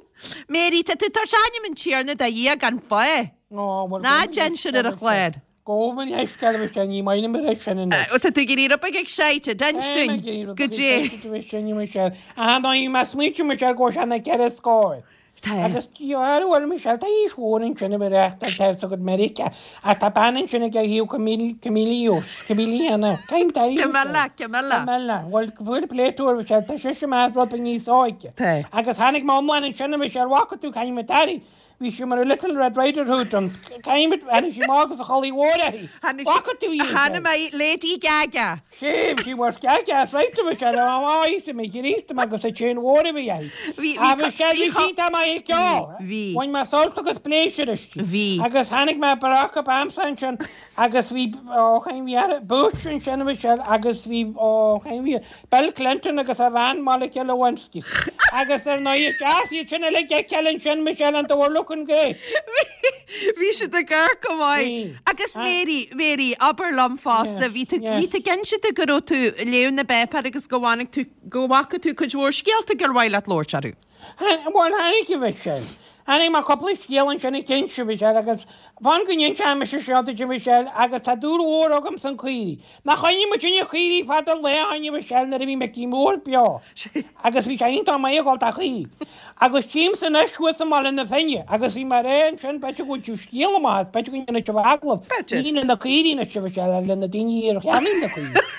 Mary, tá tú tabhairt ainm an Tiarna do Dhia gan fáth. Ó, bhuel, Ná déan sin ar an chlár. Gabh mo leithscéal a Mhichelle ní maith liom a rá sin anois. Tá tú ag iarraidh rud beag excited, inis dúinn. Goidé. Michelle. Ar ndóigh mé smaointiú Michelle go bhfuil sé na ceithre scór. Tá. Agus ar bhfuil Michelle tá aois mhór ansin a bheith reachtáil tá fhios agat Meiriceá ach tá bean ansin ag a thaobh Camille Camille Camille Caim tá Camilla, Camilla. Camilla bhfuil bhfuil pléitúr Michelle tá sise meas rud beag níos óige. Tá. Agus tháinig mé iomlán ansin a Michelle bhfaca tú caim a Daddy. Bhí sí mar a Little Red Rider Hood an caim tháinig sí amach agus a chulaith mhór uirthi. Tháinig Bhfaca tú í Tháinig mé Lady Gaga. Sé she was Gaga right Michelle á í mé Chríost agus a chain mhór a bhí uirthi. Bhí- bhí Agus sé bhí bhí sí tá maith ag ceol. Bhí. Bhain mé sult agus pléisiúr aisti. Bhí. Agus tháinig mé Barack Obama ansin agus bhí ó chain bhí ar Bush ansin Michelle agus bhí ó chain bhí Bill Clinton agus a bhean Monica Lewinsky. Agus ar ndóigh deas iad sin uilig ag ceil ansin Michelle and they were looking great. Bhí siad ag amharc go maith. Bhí. Agus Mary, Mary, abair liom fosta, bhí tú yes. bhí tú cinnte tú go raibh tú ag léamh na bpáipéar agus go bhfaca tú go bhfaca tú cuid mhór scéalta gur mhaith leat labhairt orthu. Bhuel tháinig a Michelle. Tháinig mé cúpla scéal ansin ag cinnte Michelle agus fan go n-inseoidh mise seo duit a Michelle agus tá dúil mhór agam san caoirigh. Nach choinnigh muid inne caoirigh fada an lá ó shin a Michelle nuair a bhí Micí Mór beo. Agus bhí sé iontach maith ag dul dá chaoirigh. Agus tchímse anois thuas i mBaile na Finne agus bhí mé ag rá ansin b'fhéidir go bhfuil tú scéal amach as b'fhéidir go ndéanfaidh sibh agallamh. B'fhéidir. Ní le na caoirigh anois a Michelle le na daoine ar cheannaigh na caoirigh.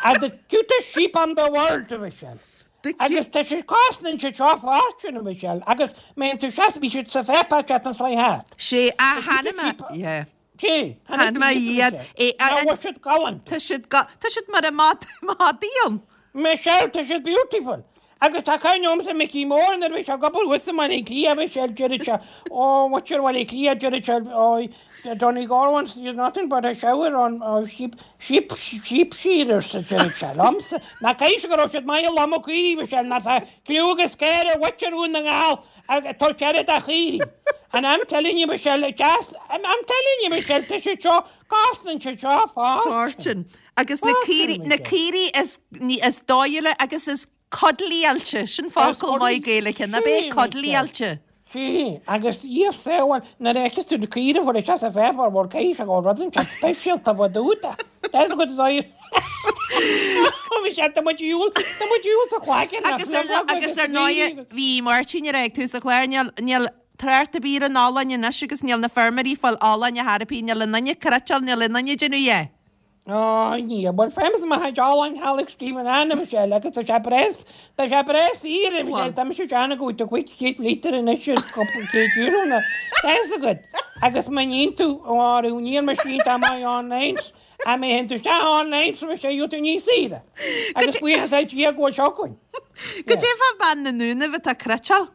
And the cutest sheep on the world a Michelle. The Agus tá sé cosnaíonn siad seo fortune a Michelle agus má théann tú seas bhí siad sa pháipéar seachtain seo thart. Sé a tháinig mé yeah. Sé Tháinig mé iad. É, a- Ná bhfuil siad galánta. Tá siad ga- tá siad mar a mad madaí. Michelle tá siad beautiful. Agus tá cuimhne agamsa Micí Mór nuair a bhí sé ag obair thuas i mBaile Átha Cliath Michelle deireadh sé ó muintir Bhaile Átha Cliath deireadh sé ó Donegal once you're nothing but a shower on oh, sheep sheep sheep shearers deireadh sé liomsa. Ná caithfidh go raibh siad maith ag lomadh caoirigh Michelle ná tá cliú agus céir ar mhuintir Dhún na nGall ag tabhairt aire do chaoirigh. And I'm telling you Michelle just I'm, I'm telling you Michelle tá siad seo cosnaíonn siad seo fortune. Fortune. Agus na Fortune, caoirigh na Michelle. caoirigh is ní is dóighle agus is cuddlyáilte sin focal maith Gaeilge na bé Sí, cuddlyáilte. Sí, agus í féháil na réicis tú na caoirigh bhfuil sé sa pháipéar bhfuil céis go rudan sé speisialta bh dúta. That's good as Bhí sé tá muid iúl tá muid iúl sa chlaiceann Agus ar agus ar ndóigh bhí Máirtín ar ag tú sa chlár níl níl trácht ar bith ar an olann anois agus níl na feirmeoirí fáil olann a tharapí níl an duine cruiteáil níl an duine déanamh é. Ó ní, bhuel fémas ma olann Alex Stephen Anna Michelle agus tá sé breá tá sé breá saor Michelle tá mise deanna go do chuig céad lítar anois is cúpla céad euro na That's good. Agus má níonn tú áú níl mar sin tá maith online a mé hen tú se online so sé tú níos saoire. Agus buíochas le Dia go bhfuil seo againn. Goidé fá bean na nDúnaibh atá cruiteáil?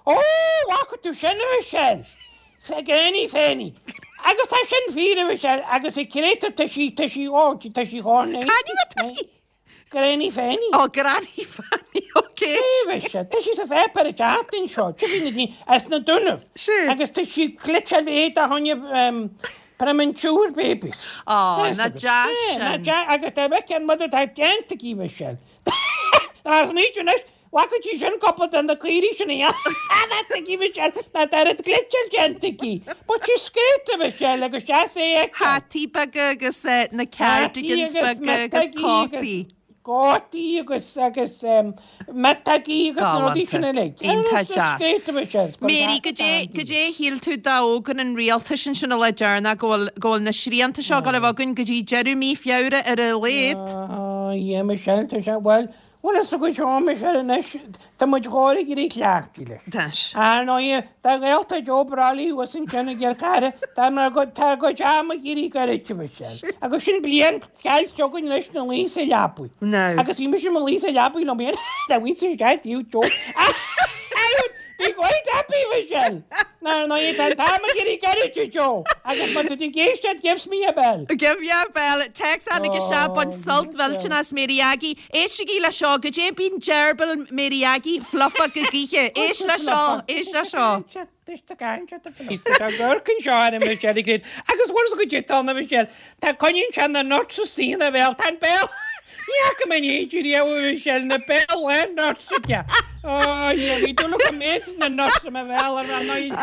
Ó, bhfaca tú sin a Michelle. Granny Fanny. Agus tá sin fíor a Mhichelle agus i gcréatúr tá sí tá sí ó tá sí dhá Cad é tá í? Granny Fanny. Ó Granny Fanny ok. Sé Michelle tá sí sa pháipéar an tseachtain seo tí na daoine as na Dúnaibh. Sé. Agus tá sí cliteáil é a tháinig premature babies. Ó na deas sin. Na agus tá bheith an mother tá déanta aici Michelle. Tá smaoitiú anois Bhfaca sí sin cúpla de na caoirigh sin a dhéanamh Michelle ná tá oiread glitseáil déanta aici. But she's great a Michelle agus deas é a fheiceáil. Hataí beaga agus na cardigans beaga agus cótaí. Cótaí agus agus miotógaí agus na rudaí sin uilig. Iontach deas. Great a Michelle. Mary, goidé goidé a shíl tú d'fhógair an rialtas ansin an lá deireanach go bhfuil go bhfuil na srianta seo ag dul a bheith againn go dtí deireadh mí Feabhra ar a laghad? Ah, yeah Michelle, tá sé, bhuel, Bhuel, is go seo Michelle anois, tá muid chóir ag éirí cleachtaithe leis. Tá. Ar ndóigh, tá gaolta Joe Brolly thuas ansin i gCill Chartha, tá mar go, tá a gcuid ama ag éirí goirte, Michelle. Agus sin bliain caillte againn anois ina luí sa leapaidh. Now. Agus bhí mise i mo luí sa leapaidh liom féin, dá bhfuil sé díobh Joe. I would be quite happy, Michelle. Ar ndóigh, tá an t-am ag éirí goirte, Joe. Agus má tá tú ag éisteacht, gives me a bell. Give me a bell. Téacs tháinig isteach bain sult mhillteanach as Mary Aggie. Éistigí le seo, goidé bíonn deirbil Mary Aggie fluffach go gaoithe. Éist le seo, éist le seo. Tá gorc anseo ar an Michelle ag rith. Agus bhfuil a fhios agat tá na Michelle. Tá coinníonn sé na nuts istigh ina bhéal. Tá an béal. Ní fhaca mé in éidí riamh a Mhichelle na béal lán nuts aige. Ó, yeah, bhí dúil agam méid na nuts i mo bhéal ar an ndóigh.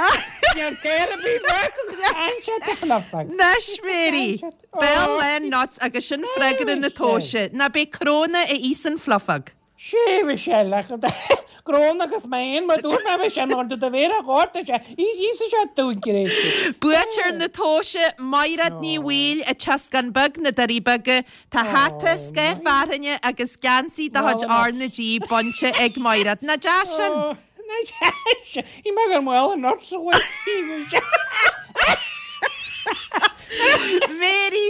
Níl céir a bhí bheag An sé fluffach. Anois Mary, béal lán nuts agus sin freagra na tomhaise. Ná beidh cróna a íosann fluffach. Sé Michelle ach Cróna agus mé féin mar dúirt mé Michelle mar do do mhéara ghorta sé íosa sé dúinn gréite. Buaiteoir na tomhaise, Maighread Ní Bhaoill, an tEascán Beag, na Doirí Beaga. Tá hata, scáth fearthainne agus geansaí de chuid R na G bainte ag Maighread. Nach deas sin? Nach deas sin? Í mar gur maol an nuts a bhfuil Mary,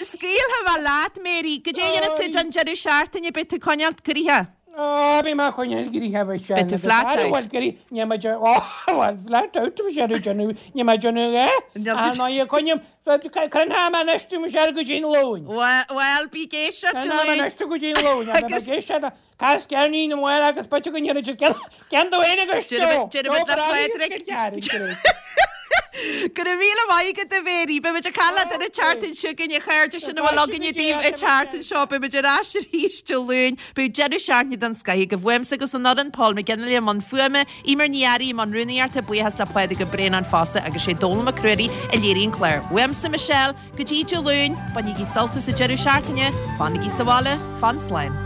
scaoilfidh mé leat, Mary. Goidé a dhéanfas tú don deireadh seachtaine, beidh tú ag coinneáil gnoithe? Ó, beidh mé ag coinneáil gnoithe, Michelle. Beidh tú flat out. Bhuel, gnoithe, níl mé ag, ó, bhuel, flat out, Michelle, ag déanamh, níl mé ag déanamh a dhath. Níl tú. Ar ndóigh, coinním, coinneoidh mé anois tú, Michelle, go dtí an Luan. Bhuel, bhuel, bí ag éisteacht Dé Coinneoidh mé Luain. anois tú go dtí an Luan, beidh mé ag éisteacht le Cas ceirnín amháin agus b'fhéidir go ndéanfaidh siad ceann dó féin agus Joe. Déarfaidh muid le Pádraig. Go raibh míle maith agat a Mhary. Beidh muid ag caint leat an tseachtain seo chugainn a chairde sin a bhfuil againne daoibh an tseachtain seo. Beidh muid ar ais arís Dé Luain. Beidh deireadh seachtaine den scoith agaibh. Uaimse agus an fhoireann, Paul McGinley i mbun fuaime, Eimear Ní Fhearraigh i mbun rúnaíochta, buíochas le Pádraig Ó Braonáin fosta agus sé Dónal Mac Ruairí a léirigh an clár. Uaimse Michelle, go dtí Dé Luain, bainigí sult as an deireadh seachtaine, fanaigí sa bhaile, fan slán.